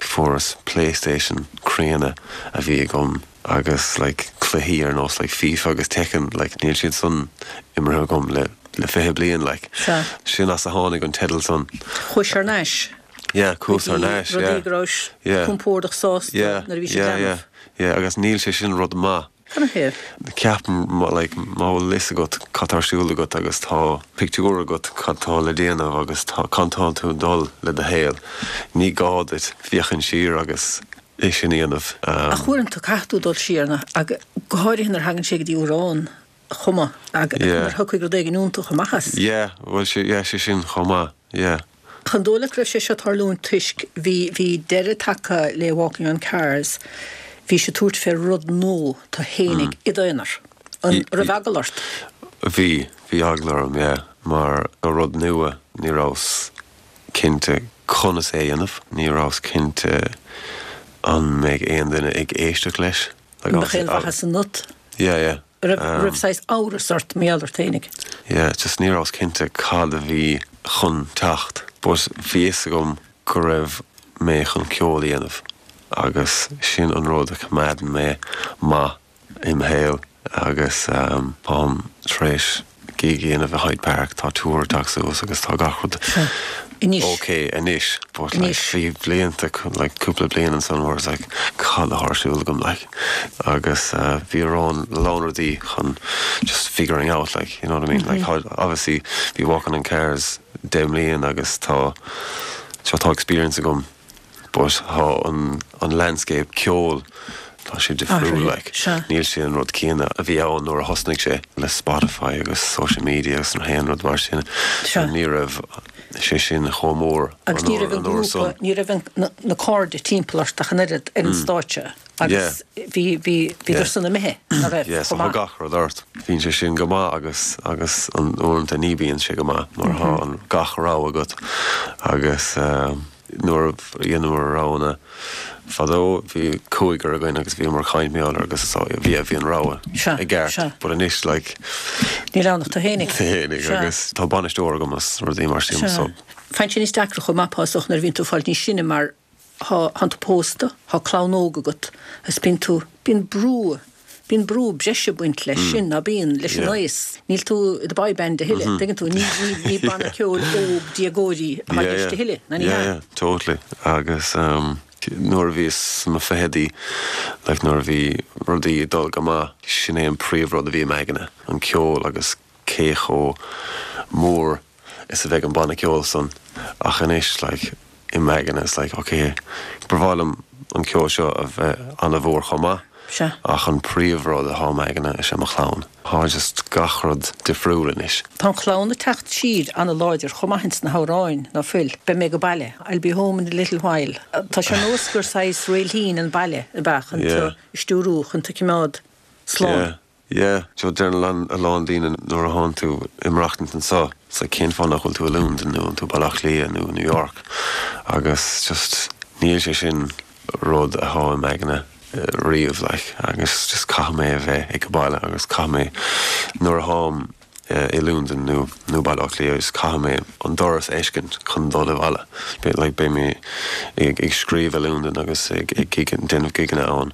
Fuaireas PlayStation críonna a bhí agam Agus like cluichí ar nós like FIFA agus Tekken like níl siad san imeartha agam le le fiche bliain like. Sea. Sin as a tháinig an teideal san. Chuais thar n-ais. Yeah, chuas thar n-ais, yeah. Rudaí go rabhais Yeah. compordach sásta Yeah, nuair a bhí siad yeah, yeah, leanbh. yeah, agus níl sé sin rud maith. Canathaobh? Ceapaim má like má bhfuil fhios agat cad tá ar siúl agat agus tá pictiúr agat cad tá le déanamh agus tá cá tá tú ag dul le do shaol. Ní gá duit féachaint siar agus é sin a dhéanamh. Um, Ach uaireanta caithfidh tú dul siar na ag go háirithe nuair a thagann sé go dtí amhrán a chumadh ag Yeah. mar thiocfaidh rud éigin iontach amach as. Yeah, well sé yeah, sé sin chomh maith, yeah. An dóigh leat go raibh sé seo tarlúint toisc bhí bhí deireadh tagtha le Walking on Cars, bhí sé tabhairt fé rud nua tú fhéinig i d'aonar. An I- raibh eagla ort? Bhí, bhí eagla orm, yeah, mar rud nua ní rabhas cinnte conas é a dhéanamh, ní rabhas cinnte an mbeidh aon duine ag éisteacht leis. Like, An mbeadh aon mhaitheas ionat? Yeah, yeah. Raibh Um, raibh saghas amhras ort mar gheall ort fhéinig. Yeah, just ní rabhas cinnte cad a bhí chun teacht. But bhí fhios agam go raibh mé chun ceol a dhéanamh. Agus sin an rud a choimeádann mé maith im shaol agus um, táim tar éis gig a dhéanamh i Hyde Park tá tour ag teacht suas agus tá gach rud Anois. okay anois but like Anois. bhí blianta like cúpla bliain ansan where it's like cad atá ar siúl agam like agus uh, bhí rán lán rudaí chun just figuring out like you know what I mean like how, obviously bhí Walking on Cars deich mbliana agus tá seo tá experience agam but tá an an landscape ceol tá sé difriúil like Sea. níl sé an rud céanna a bhí ann nuair a thosnaigh sé le Spotify agus social media agus na haon rud mar sin Sea. ní raibh sé sin chomh mór Agus ní raibh an an uair grúpa, san. ní raibh an- na, na cairde timpeall ort ach an oiread ar an stáitse. Agus bhí bhí bhí Yeah. san imithe ná raibh Yeah, so chomh maith. tá gach rud ort. Bíonn sé sin go maith agus agus an uaireanta ní bhíonn sé go maith mar tá an gach rogha agat agus um, nuair a dhéanamar roghanna fadó bhí cúigear againn agus bhí mar chaintmeálar agus so bhí bhí an rogha Sea, i gceart, sea. but anois like Níl ann ach tú fhéinig. féinig Sea. agus tá bainisteoir agam is rudaí mar sin Sea. so Faigheann sé níos deacra chomh maith is dócha nuair a bhíonn tú ag fáil níos sine mar tá tú pósta, tá clann óg agat, agus bíonn tú bíonn brú bíonn brú breise ag baint leis sin ná bíonn leis an Yeah. aois. Níl tú i do boy band a thuilleadh, tuigeann tú ní ní banna ceoil óg déagóirí atá i gceist a thuilleadh, ná ní yeah, hea. yeah, totally. Agus um, nuair a bhíos sna fichidí like nuair a bhí rudaí ag dul go maith sin é an príomhrud a bhí im aigne an ceol agus cé chomh mór is a bheidh an banna ceoil san ach anois like im aigne is like okay ba mhaith liom an ceol seo a bheith an-mhór chomh maith Sea. ach an príomhrud atá im aigne is é mo chlann. Tá just gach rud difriúil anois. Tá an chlann ag teacht siar an-láidir chomh maith sna hamhráin ná fuil, Beidh mé ag baile, I'll be home in a little while. Tá sé nós gur saghas réiltín an baile a bheith chun Yeah. tú stiúrú chun tú coimeád slán. Yeah. Yeah, so deir a lán daoine nuair a thánn tú ag maireachtaint anseo, sa cén fáth nach bhfuil tú i Londain nó tú Baile Átha Cliath nó New York agus just níl sé sin rud atá im aigne riamh like, agus just caithfidh mé a bheith ag baile agus caithfidh mé nuair a tháim i Londain nó nó Baile Átha Cliath agus caithfidh mé an doras a fheiscint chun dul abhaile. Be like beidh mé ag ag scríobh i Londain agus ag ag déanamh gigeanna ann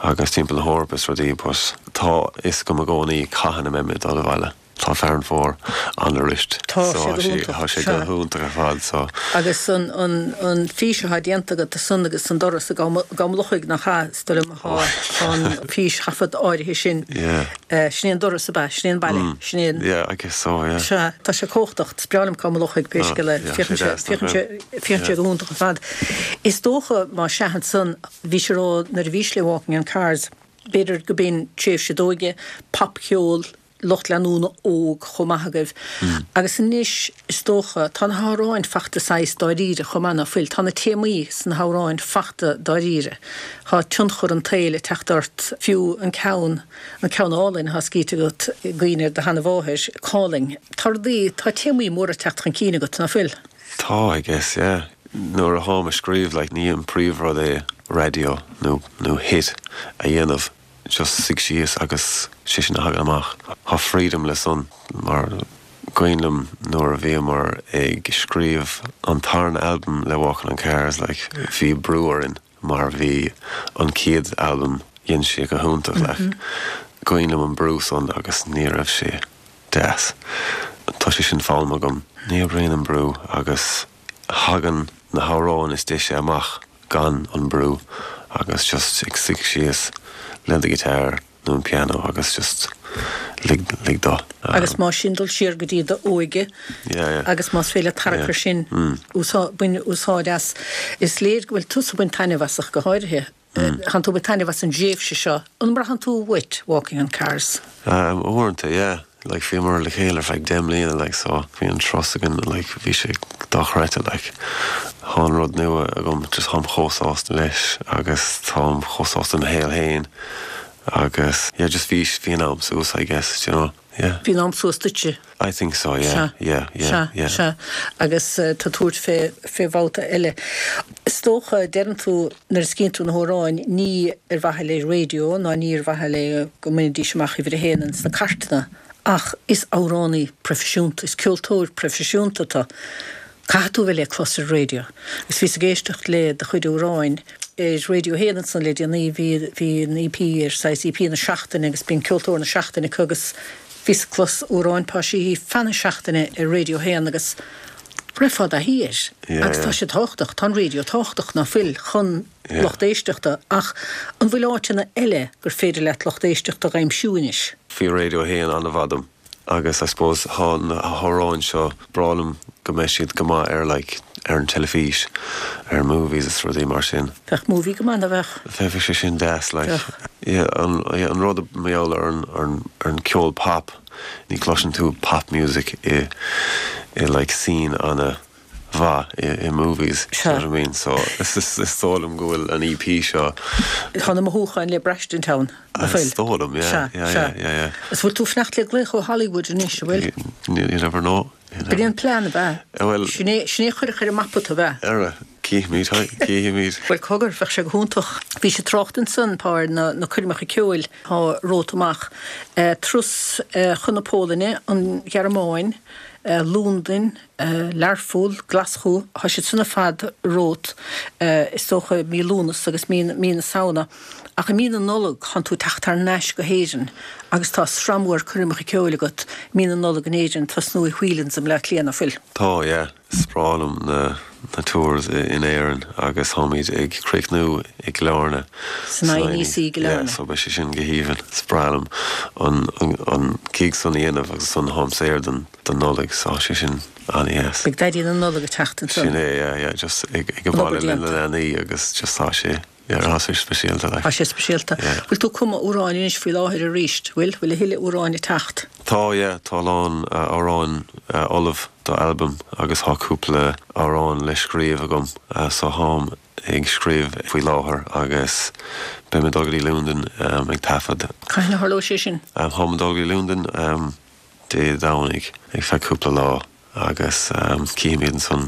agus timpeall na hEorpa is rudaí but tá fhios agam i gcónaí cathain a mbeidh mé dul abhaile. Tá Fearann Fómhair an-arist. Tá sé go hiontach, Tá sé sea. go hiontach ar fad so Agus an an an fís atá déanta agat san agus an doras a gamlochaigh nach cha tá an físthaifead áirithe sin. Yeah. Eh, Sin é an doras ab ea, sin é an baile, sin é an Yeah, I guess so, yeah. Sea, tá sé cumhachtach is breá liom Cam Lochaigh pé scéal é yeah, féachann sé deas, nach féachann sé go hiontach ar fad. Is dócha má seahan san bhí sé rá nuair a bhís le Walking on Cars, b'fhéidir go b'in tréimhse d'óige, popcheol, lucht leanúna óg chomh maith agaibh. Agus anois is dócha tá na hamhráin fachta saghas dáiríre chomh maith ná fuil, tá na téamaí sna hamhráin fachta dáiríre. Tá tionchar an tsaoil ag teacht ort fiú an ceann an ceann álainn atá scríte agat i gcuimhne do sheanmháthair Calling. Tá rudaí tá téamaí móra ag teacht chun cinn agat ná fuil. Tá, I guess, yeah. Nuair a tháim ag scríobh like, ní an príomhrud é radio nó nó hit a dhéanamh just suigh síos agus sé sin a thagann amach. Tá freedom le san mar cuimhin liom nuair a bhíomar ag scríobh an tarna album le Walking on Cars like, bhí brú orainn mar bhí an chéad album dhein sé go hiontach like. Cuimhin liom an brú san agus ní raibh sé deas. Tá sé sin foghlamtha agam. Ní oibríonn an brú agus thagann na hamhráin is deise amach gan an brú agus just ag suí síos le do guitar nó an piano agus just lig lig dó. Agus má sin dul siar go dtí do óige Yeah, yeah. agus más féidir tarrac sin bain úsáid as is léir go bhfuil tusa ag baint taitneamh as ach go háirithe. Tá tú ag baint taitneamh as an dtréimhse seo an mbraitheann tú uait walking on cars. Um, uaireanta, yeah. Like bhíomar le chéile ar feadh deich mbliana like so bhí an trust againn like bhí sé dochreidte like tá an rud nua agam just táim chomh sásta leis agus táim chomh sásta mo shaol féin agus yeah just bhí bhí an am suas I guess you know yeah. Bhí an am suas duitse. I think so yeah yeah yeah yeah. Sea agus uh, tá tabhairt fé fé bhabhta eile. Is dócha deireann tú nuair a scríobhann tú na hamhráin ní ar mhaithe le raidió ná ní ar mhaithe le go mbainfidís amach uimhir a haon sna cairteanna ach is amhránaí proifisiúnta, is ceoltóir proifisiúnta tá. Caithfidh tú bheith le clos ar raidió. Is bhíos ag éisteacht le do chuid amhráin ar raidió haon ansan le déanaí bhí bhí an EP ar saghas EP na seachtaine agus bíonn ceoltóir na seachtaine agus bhíos ag clos amhráin Pa Sheehy feadh na seachtaine ar raidió haon agus rithfeá thiar agus tá sé tábhachtach tá an raidió tábhachtach ná fuil chun lucht éisteachta ach an bhfuil áiteanna eile gur féidir leat lucht éisteachta a aimsiú anois. Bhí raidió haon an-mhaith dom agus I suppose tá na hamhráin seo breá liom go mbeidh siad go maith ar like ar an teilifís ar movies is rudaí mar sin. Bheadh movie go maith a bheadh. Bheadh sé sin deas like yeah, an, yeah, an rud meall ar an, ar an, ar an ceol pop ní chloiseann tú pop music i i like scene an-mhaith i, i movies you know what I mean so is is is dóigh liom go bhfuil an EP seo Tá na mothúcháin le braistint ann Is dóigh liom yeah, yeah, yeah, yeah, yeah. Is bhfuil tú fanacht le glaoch ó Hollywood anois bhfuil? You, you never know. B'é an plean a bheith. Well Sin é chuir chuir mapa tú bheith. Ara címid címid. Well cogar bheadh sé go hiontach. Bhí sé trácht ansan pár na, na coirmeacha ceoil tá romhat amach. Uh, turas uh, chun na Polainne an Ghearmáin, uh, Londain, uh, Learpholl, Glaschú, tá siad san ar fad romhat uh, is dócha mí Lúnasa agus mí, mí na Samhna. Ach i mí na Nollag tá tú ag teacht thar n-ais go hÉirinn, agus tá sraith mhór coirmeacha ceoil agat mí na Nollag in Éirinn tosnú i Whelan's i mBleá Cliath ná fuil. Tá yeah, is breá liom na na tours in Éirinn agus táimid ag críochnú i gCill Airne. San INEC i gCill Airne. Yeah, so beidh sé sin go haoibhinn. Is breá liom an, an, an gig san a dhéanamh agus san táim saor don don Nollaig so sé sin an-deas. Beidh Daidí na Nollag ag teacht ansan. Sin é, yeah, yeah, just ag ag baile le na leanaí agus just tá sé yeah, tá sé speisialta like. Tá sé speisialta. Yeah. Bhfuil tú ag cumadh amhráin anois faoi láthair arís, bhfuil bhfuil a thuilleadh amhráin ag teacht. Tá yeah, tá lán uh, amhráin uh, ullamh do album agus tá cúpla amhrán le scríobh agam uh, so táim ag scríobh faoi láthair agus beidh mé ag dul go dtí Londain um, ag taifead. Cathain a tharlóidh sé sin? Um, táim ag dul go dtí Londain um, Dé Domhnaigh ag feadh cúpla lá agus um, cífimid ansan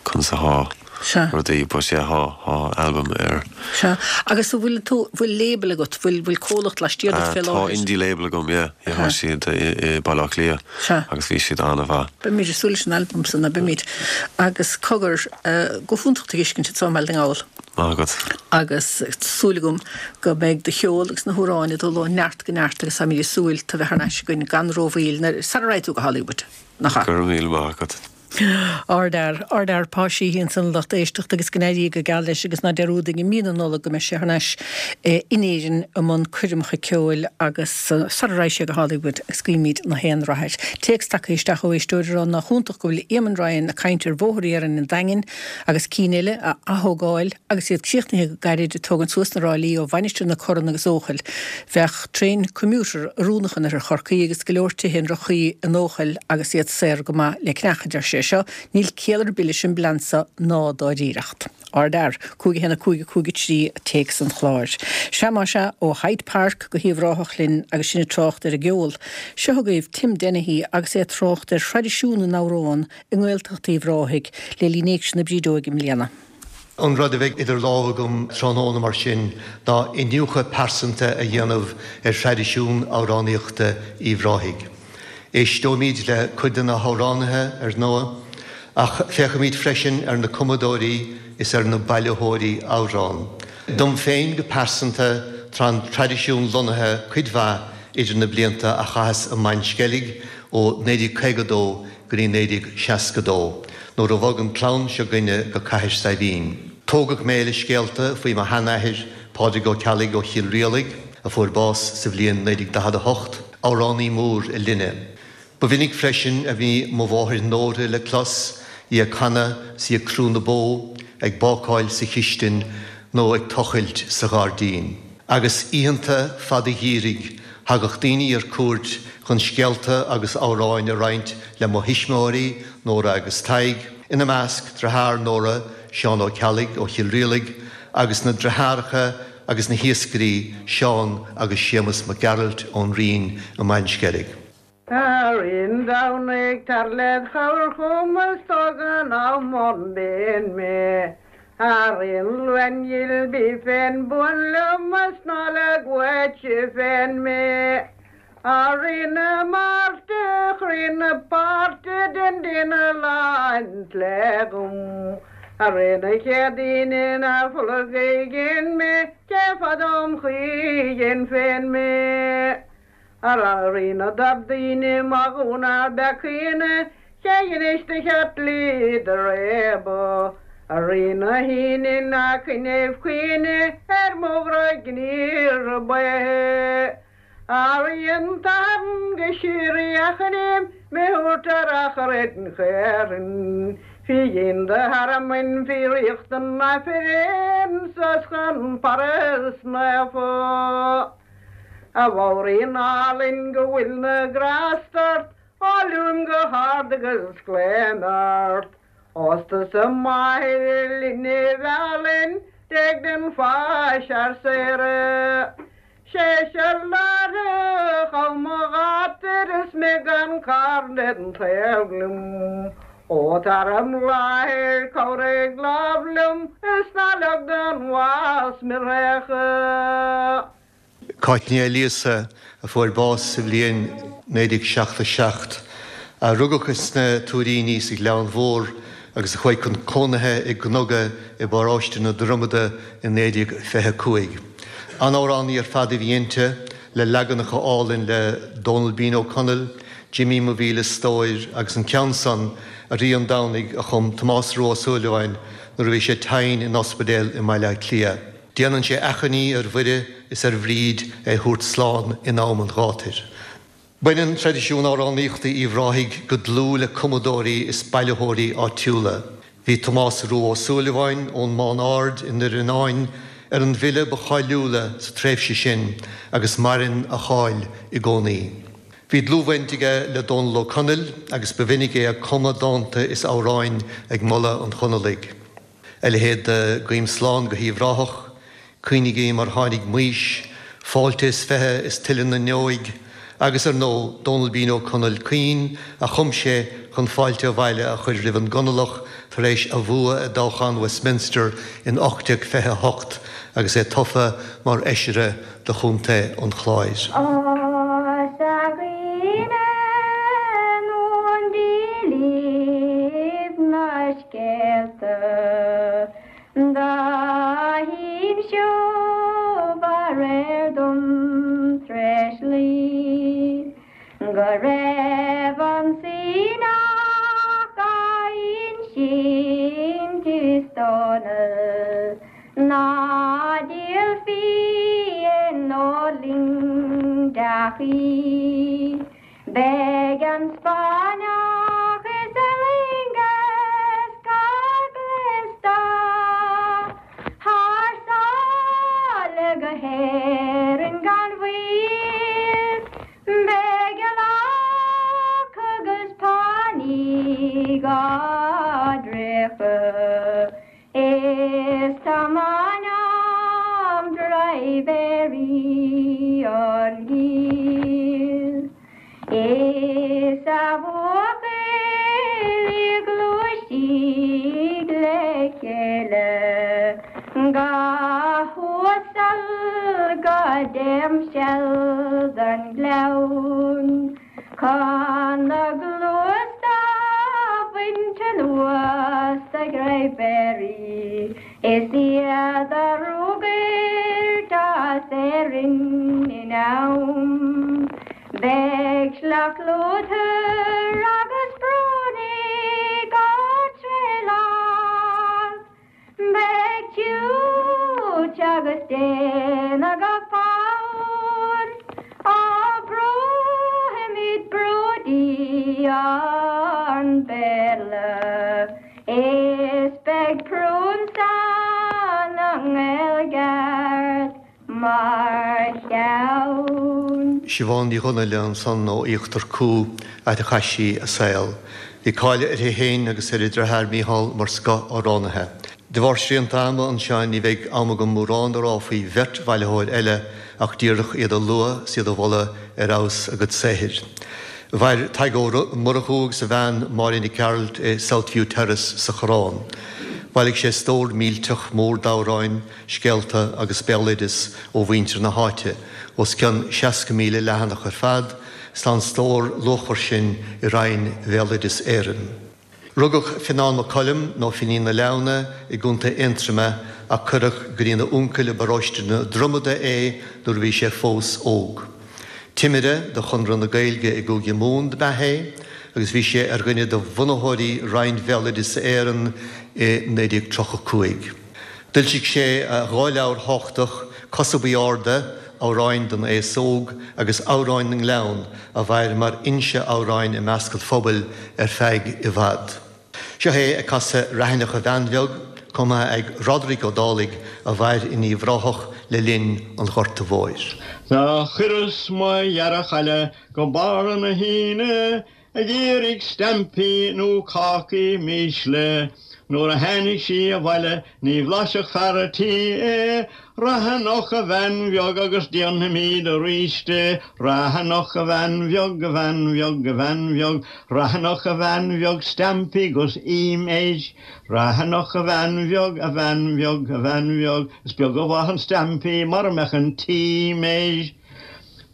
conas atá Sea. rudaí but yeah, tá tá album ar Sea. Agus an bhfuil tú bhfuil label agat bhfuil bhfuil comhlacht laistiar Uh, fé tá láthair. indie label agam yeah, yeah, tá siad i, i Baile Átha Cliath Sea. agus bhí siad an-mhaith. Beimid ag súil leis an album san na beimid agus cogar uh, go hiontach tú a fheiscint i mBaile na nGall. Maith agat. agus súil agam go mbeidh do cheol agus na hamhráin ag dul ó neart go neart agus táimid ag súil tú bheith thar n-ais againn gan rómhoill na sara raghaidh tú go Hollywood. Nach ea? Go raibh míle maith agat. Ardfhear ardfhear Pa Sheehy ansan lucht éisteachta agus go n-éirí go geal leis agus ná dearúdaigí i mí na Nollag go mbeidh sé thar n-ais in Éirinn i mbun coirmeacha ceoil agus sara raghaidh sé go Hollywood agus guímid na haon rath air. Téacs tagtha isteach ó éisteoir rá nach iontach go bhfuil Éamon Ryan ag caint ar bhóthar Éireann an Daingin agus cinn eile a athógáil agus iad críochnaithe go gairid ag tógaint suas na ráillí ó Mhainistir na Corann agus Eochaill. Bheadh traein commuter oiriúnach in oirthear Chorcaí agus go leor tithe i ndroch-chaoi in Eochaill agus iad saor go maith le cneachadh deir sé seo, níl ciall ar bith leis an bplean seo ná dáiríreacht. Ardfhear, cúig a haon cúig cúig trí téacs an chláir. Sea má sea ó Hyde Park go hUíbh Ráthach linn agus sinn ag trácht ar an gceol. Seo chugaibh Tim Dennehy agus é ag trácht ar thraidisiún na n-amhrán i nGaeltacht Uíbh Ráthaigh le linn Éigse na Brídeoige i mbliana. An rud a bheidh idir lámha agam tráthnóna mar sin ná iniúchadh pearsanta a dhéanamh ar thraidisiún amhránaíochta Uíbh Ráthaigh. Éisteoimid le cuid de na hamhránaithe ar ndóigh, ach féachfaimid freisin ar na cumadóirí is ar na bailitheoirí amhrán. Dom féin go pearsanta tá an traidisiún lonnaithe cuid mhaith idir na blianta a chaitheas i mBaile an Sceilg ó naoi déag caoga dó go dtí naoi déag seasca dó, nuair a bhog an chlann seo againne go Cathair Saidhbhín. Tógadh mé le scéalta faoi mo sheanathair, Pádraig Ó Ceallaigh ó Chill Rialaig, a fuair bás sa bhliain naoi déag daichead a hocht, amhránaí mór a linne. Ba mhinic freisin a bhí mo mháthair Nóra le clos, í ag canadh is í ag crú na bó, ag bácáil sa chistin nó ag tochailt sa ghairdín. Agus oícheanta fada gheimhridh, thagadh daoine ar cuairt chun scéalta agus amhráin a roinnt le mo thuismitheoirí, Nóra agus Tadhg, ina measc deartháir Nóra, Seán Ó Ceallaigh ó Chill Rialaig, agus na deartháireacha agus na hiascairí Seán agus Séamus Mac Gearailt ón Rinn i mBaile an Sceilg. A Rí an Domhnaigh tar led chabhair chugam is tóg anam ón bpian mé. A Rí an Luain dhil bí féin buan liom is ná leag uait féin mé. A Rí na Máirte, chroí na páirte dein duine lán le dhom. A Rí na Céadaoine ná fola ghéin mé, cé fad om chuigin féin mé. A Rí na Dardaoine má dhúna becaoine, cé inis do cheart lí do réaba. A Rí na hAoine ná coinneamh caoine ar mo ghrá gníomh baoth. A Rí an tSathairn go síoraí a choinním mé thabhairt ar achar an chaoirn. Fí dhéin do thearmainn fí ríocht an Aifrinn sos chun Páras naofa. A Mháirín álainn go bhfuil na grásta ort, á luaim go hard agus glaoim ort. Ós tusa máthair linbh álainn, d'éag den pháis ár saoradh. Sé láre chum mo ghátar is mé gan carn den tsaol liom. Ó tar im láthair cabhraigh lámh liom is ná leag don bhás mé réachadh. Cáit Ní Ailíosa a fuair bás sa bhliain naoi déag seachtó seacht, a rugadh sna Tuairíní sa Ghleann Mhór agus a chuaigh chun cónaithe i gCnoga i bparóiste na Dromada i naoi déag fiche cúig. An-amhránaí ar fad a bhí inti, le leaganacha álainn le Dónal Bean Ó Conaill, Jimí mo mhíle stóir agus an ceann san a Rí an Domhnaigh a chum Tomás Rua Ó Súilleabháin nuair a bhí sé tinn in ospidéal i mBaile Átha Cliath. Déanann sé achainí ar Mhuire is ar Bhríd é thabhairt slán in am an ghátair. Baineann traidisiún amhránaíochta Uíbh Ráthaigh go dlúth le cumadóirí is bailitheoirí áitiúla. Bhí Tomás Rua Ó Súilleabháin ón Mám Ard i nDoire Fhionáin ar an bhfile ba cháiliúla sa tréimhse sin agus maireann a cháil i gcónaí. Bhí dlúthbhaint aige le Dónal Ó Conaill agus ba mhinic é ag cumadh dánta is amhráin ag moladh an Chonallaigh. A leithéid de Guím Slán go hUíbh Ráthach, Caoinigí mar tháinig Maois, Fáilte is fiche is tuile na nDeoidh, agus ar ndóigh Dónal Bean Ó Conaill Caoin a chum sé chun fáilte abhaile a chur roimh an gConallach tar éis a bhua i dtoghchán Westminster in ocht déag fiche a hocht agus é tofa mar fheisire do Chontae an Chláir. Os a dhaoine nó dílíbh na scéalta dá hinseobh aréir dom tréis luí go raibh an Síneach á insint is Dónall ná díolfaí nó linn deachaí. Beidh an Spáinneach is a loingeas go gléasta thar sáile go hÉirinn gan mhoill. Beidh eallach agus pánaí dhá dtraochadh is tá m'anam dráibhéirí á ndíol. Is a bhuachaillí gluaisigh le chéile go huasal go dtimcheall don ghleann chun na gcluas do bhaint anuas de dhraibhéirí is iad a ruagairt as Éirinn in am. Beidh sleacht lúthmhar agus brónaigh go tréileach. Beidh tiúit agus déine go fonn. Á bróimid bródaí an Béarla. Is beidh prúnsa na nGaeilgeart mar cheann. Siobhán Ní Dhonnaile ansan ó Íochtar Cú áit a chaith sí a saol. Bhí cáil uirthi féin agus ar a deartháir Mícheál mar scoth-amhránaithe. De bharr srianta ama anseo ní bheidh am agam mórán a rá faoi bheirt bhailitheoir eile ach díreach iad a lua is iad a mholadh ar fheabhas a gcuid saothair. Mhair Tadhg Ó Murchú agus a bhean Máire Nic Gearailt i Southview Terrace sa Choireán. Bhailigh sé stór millteach mór d'amhráin, scéalta agus béaloideas ó mhuintir na háite, os cionn seasca míle leathanach ar fad, is tá an stór luachmhar sin i Roinn Bhéaloideas Éireann. Rugadh Fionnán Mac Coluim nó Finín na Leamhna i gContae Aontroma ach cuireadh go dtína uncail i bparóiste na Dromada é nuair a bhí sé fós óg. Timire do Chonradh na Gaeilge i gCúige Mumhan ab ea é, agus bhí sé ar dhuine de bhunaitheoirí Roinn Bhéaloideas Éireann i naoi déag tríocha cúig. D'fhoilsigh sé dhá leabhar thábhachtach, Cosa Buí Arda, Amhráin don Aos Óg agus Amhráin na nGleann, a mhair mar fhoinse amhráin i measc an phobail ar feadh i bhfad. Seo é ag casadh Raithineach a Bhean Bheag, cumtha ag Roderick Ó Dálaigh a mhair in Uíbh Ráthach le linn an Ghorta Mhóir. Do chuireas mo dheartháir go barra na hAoine ag iarraidh stampaí nó cácaí mísle. Nuair a tháinig sí abhaile ní bhlaisfeadh fear a' tí é, Raithineach a bhean bheag agus déanfaimid arís é. Raithineach a bhean bheag, a bhean bheag, a bhean bheag, Raithineach a bhean bheag, stampaí 'gus im éis. Raithineach a bhean bheag, a bhean bheag, a bhean bheag, is beag an mhaith an stampaí mara mbeadh an t-im éis.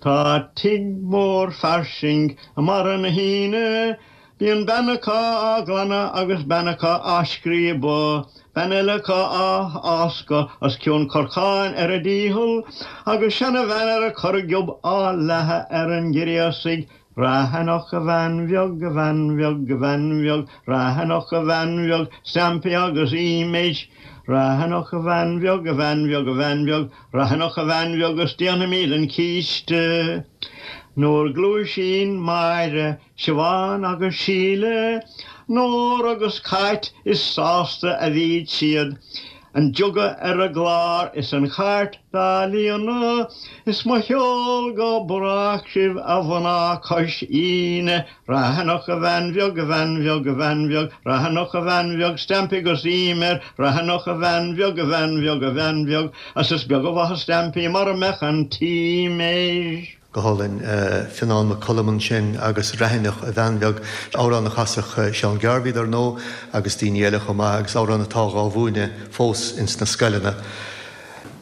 Tá tigh mór fairsing i mBarra na hAoine, Bíonn bean acu á ghlanadh agus bean acu á scríobadh, bean eile acu á fháscadh os cionn corcáin ar a dícheall, agus seanabhean ar a corrghiob á leathadh ar an ghréasaigh. Raithineach a bhean bheag, a bhean bheag, a bhean bheag, Raithineach a bhean bheag, stampaí agus im éis. Raithineach a bhean bheag, a bhean bheag, a bhean bheag, Raithineach a bhean bheag agus déanfaimid an císte. Nuair gluaisíonn Máire, Siobhán agus Síle, Nóra agus Cáit is sásta a bhíd siad, an jug ar a gclár is an chairt dá líonadh, is mo cheol go brách sibh a mhná cois Aoine. Raithineach a bhean bheag, a bhean bheag, a bhean bheag, Raithineach a bhean bheag, stampaí 'gus im air, Raithineach a bhean bheag, a bhean bheag, a bhean bheag, agus is beag an mhaith stampaí mara mbeadh an t-im air. Go hálainn, Fionnán Mac Coluim ansin agus Raithineach a bhean bheag, amhrán a chasadh Seán Garvey dar ndóigh agus daoine eile chomh maith agus amhrán atá á mhúineadh fós ins na scoileanna.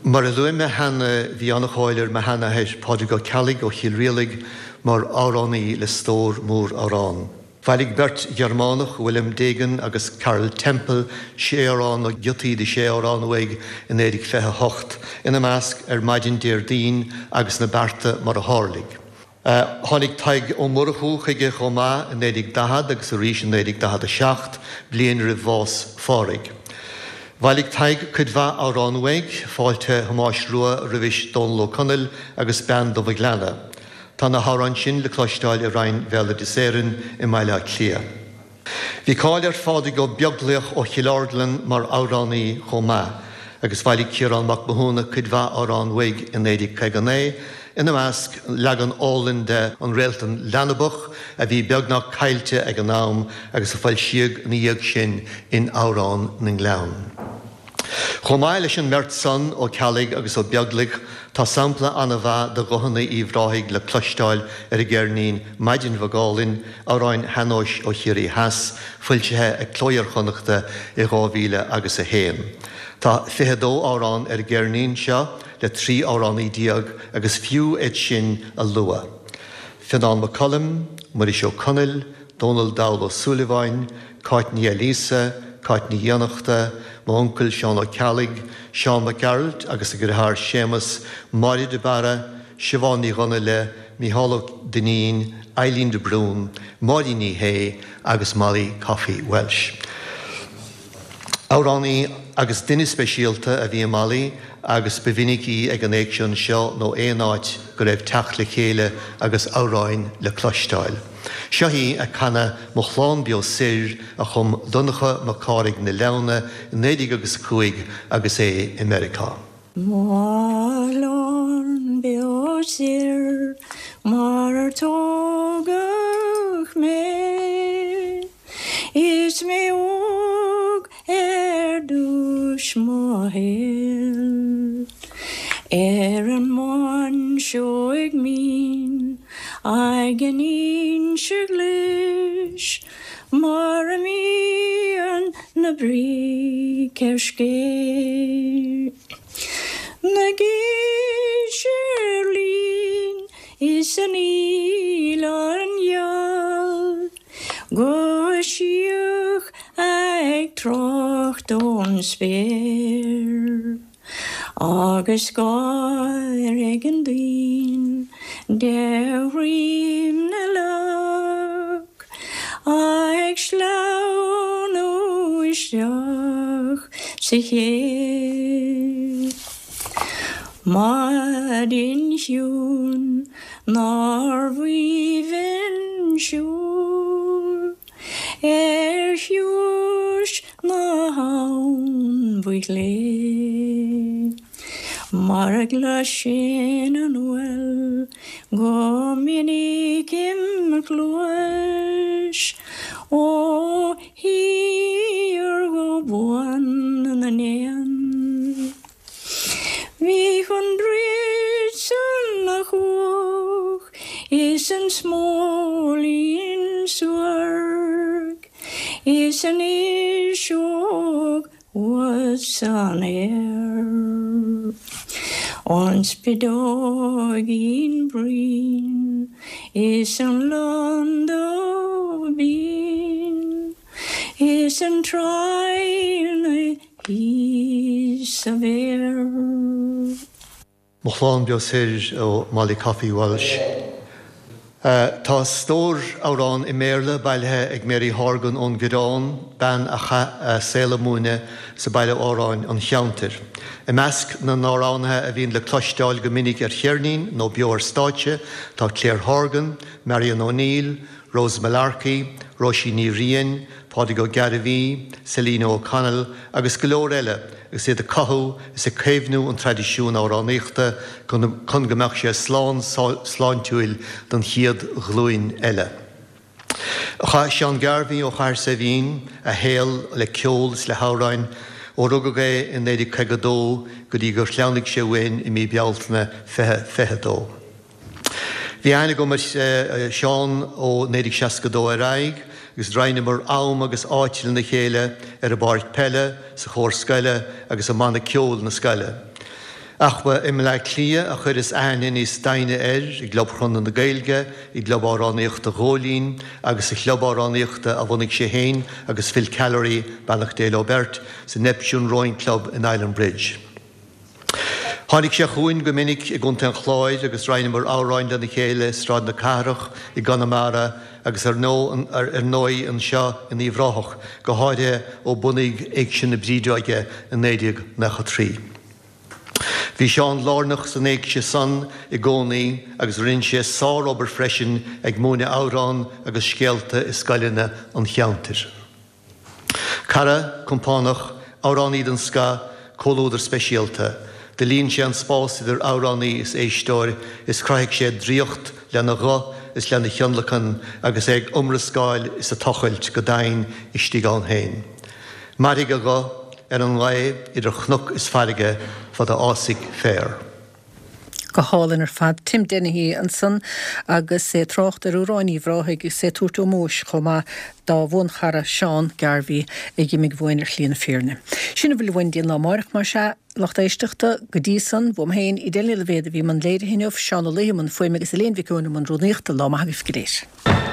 Mar a luaigh mé cheana bhí an-cháil ar mo sheanathair Pádraig Ó Ceallaigh ó Chill Rialaig mar amhránaí le stór mór amhrán. Bhailigh beirt Ghearmánach, Wilhelm Degen agus Karl Tempel, sé amhrán nó giotaí de sé amhrán uaidh i naoi déag fiche a hocht, ina measc ar maidin Déardaoin agus na bearta mar a tharlaigh. Tháinig Tadhg Ó Murchú chuige chomh maith i naoi déag daichead agus arís i naoi déag daichead a seacht, bliain roimh bhás Phádraig. Bhailigh Tadhg cuid mhaith amhrán uaidh, Fáilte Thomáis Rua roimhis Dónal Ó Conaill agus Bean Dubh an Ghleanna. Tá na hamhráin sin le cloisteáil i Roinn Bhéaloideas Éireann i mBaile Átha Cliath. Bhí cáil ar Phádraig Ó Beaglaoich ó Chill Orglan mar amhránaí chomh maith, agus bhailigh Ciarán Mac Mathúna cuid mhaith amhrán uaidh i naoi déag caoga naoi, ina measc leagan álainn de An Réaltán Leanbach a bhí beagnach caillte ag an am agus a foilsíodh ina dhiaidh sin in Amhrán na nGleann. Chomh maith leis an mbeirt san, Ó Ceallaigh agus Ó Beaglaoich, tá sampla an-mhaith de ghuthanna Uíbh Ráthaigh le cloisteáil ar an gceirnín Maidin Bheag Álainn, amhráin shean-nóis ó Chiarraí Theas, foilsithe ag Cló Iar-Chonnachta i dhá mhíle agus a haon. Tá fiche a dó amhrán ar an gceirnín seo le trí amhránaí déag agus fiú iad sin a lua. Fionnán Mac Coluim, Muiris Ó Conaill, Dónal Dall Ó Súilleabháin, Cáit Ní Ailíosa, Cáit Ní Fhiannachta, m'uncail Seán Ó Ceallaigh, Seán Mac Gearailt agus a dheartháir Séamus, Máire de Barra, Siobhán Ní Dhonnaile, Mícheál Ó Duinnín, Eileen de Brún, Máirín Ní Shé agus Molly Coffey Welsh. Amhránaí agus duine speisialta a bhí i Molly agus ba mhinic í ag an éigse anseo nó aon áit go raibh teacht le chéile agus amhráin le cloisteáil. Seo í ag canadh Mo Chlann Beo Soir a chum Donncha Mac Cárthaigh na Leamhna i naoi déag agus a cúig agus é i Meiriceá. Mo chlann beo soir mar ar tógadh mé Is mé óg ar dtús mo shaoil Ar an mBuinseoig Mhín ag an Inse Ghlis Mar a mbíonn na bric ar scéith. Na gise lín is an fhaoileán gheal Go síoch ag trácht ón spéir Agus gáir ag an dtuinn de dhroim na leac Ag sleamhnú isteach sa chéibh. Maidin chiúin nárbh aoibhinn siúl Ar chiumhais na habhann faoi chlé Mar a gcloisinn an uail go minic im chluais Ó shíor go bun na n-éan. Bhíodh an druid san a chuach is an smóilín suairc Is an fhuirseog thuas san aer An spideoigín brín is an londubh binn Is an traidhne thíos sa bhféar. Mo Chlann Beo Soir ó Molly Coffey Walsh. Tá stór amhrán i mBéarla bailithe ag Mary Horgan ón gCoireán, bean a chaith a saol ag múineadh sa baile amhráin an cheantair. I measc na n-amhránaithe a bhíonn le cloisteáil go minic ar cheirnín nó beo ar stáitse tá Claire Horgan, Marion O'Neill, Rose Mullarkey, Róisín Ní Riain, Pádraig Ó Gairbhí, Selina O'Connell agus go leor eile agus iad ag cothú is ag caomhnú an traidisiúin amhránaíochta chun go mbeadh sé slán sláintiúil don chéad ghlúin eile. Chaith Seán Garvey ó Chathair Saidhbhín a shaol le ceol is le hamhráin ó rugadh é i naoi déag caoga dó go dtí gur shleamhnaigh sé uainn i mí Bealtaine fiche fiche dó. Bhí aithne agam ar Sheán ó naoi déag seasca dó ar aghaidh agus roinneamar am agus áit lena chéile ar an bpáirc peile, sa chór scoile agus i mbanna ceoil na scoile. Ach ba i mBleá Cliath a chuireas aithne níos doimhne air, i gClub Chonradh na Gaeilge, i gClub Amhránaíochta Ghóilín agus sa chlub amhránaíochta a bhunaigh sé féin agus Phil Callery, beannacht Dé leo beirt, sa Neptune Rowing Club in Island Bridge. Tháinig sé chugainn go minic i gContae an Chláir agus roinneamar amhráin lena chéile i Sráid na Cathrach i gConamara agus ar ndóigh anseo in Uíbh Ráthach, go háirithe ó bunaíodh Éigse na Brídeoige i naoi déag nócha trí. Bhí Seán lárnach san éigse san i gcónaí agus rinne sé sárobair freisin ag múineadh amhrán agus scéalta i scoileanna an cheantair. Cara, compánach, amhránaí den scoth, comhluadar speisialta. Do líon sé an spás idir amhránaí is éisteoir is chruthaigh sé draíocht lena ghuth is lena thionlacan agus é ag iomrascáil is ag tochailt go domhain istigh ann féin. Mairfidh a ghuth ar an ngaoth idir chnoc is farraige fad a fhásfaidh féar. Go hálainn ar fad. Tim Dennehy ansan agus é ag trácht ar amhráin Uíbh Ráthaigh agus é ag tabhairt ómóis chomh maith dá bhuanchara Seán Garvey a d'imigh uainn ar shlí na fírinne. Sin a bhfuil uainn go dtí an lá amárach más ea, lucht éisteachta, go dtí san, uaim féin, Edel Ní Loibhéad a bhí i mbun léirithe inniu, Seán Ó Laoi i mbun fuaime agus Elaine Mhic Eoin i mbun rúnaíochta. Lá maith agaibh go léir.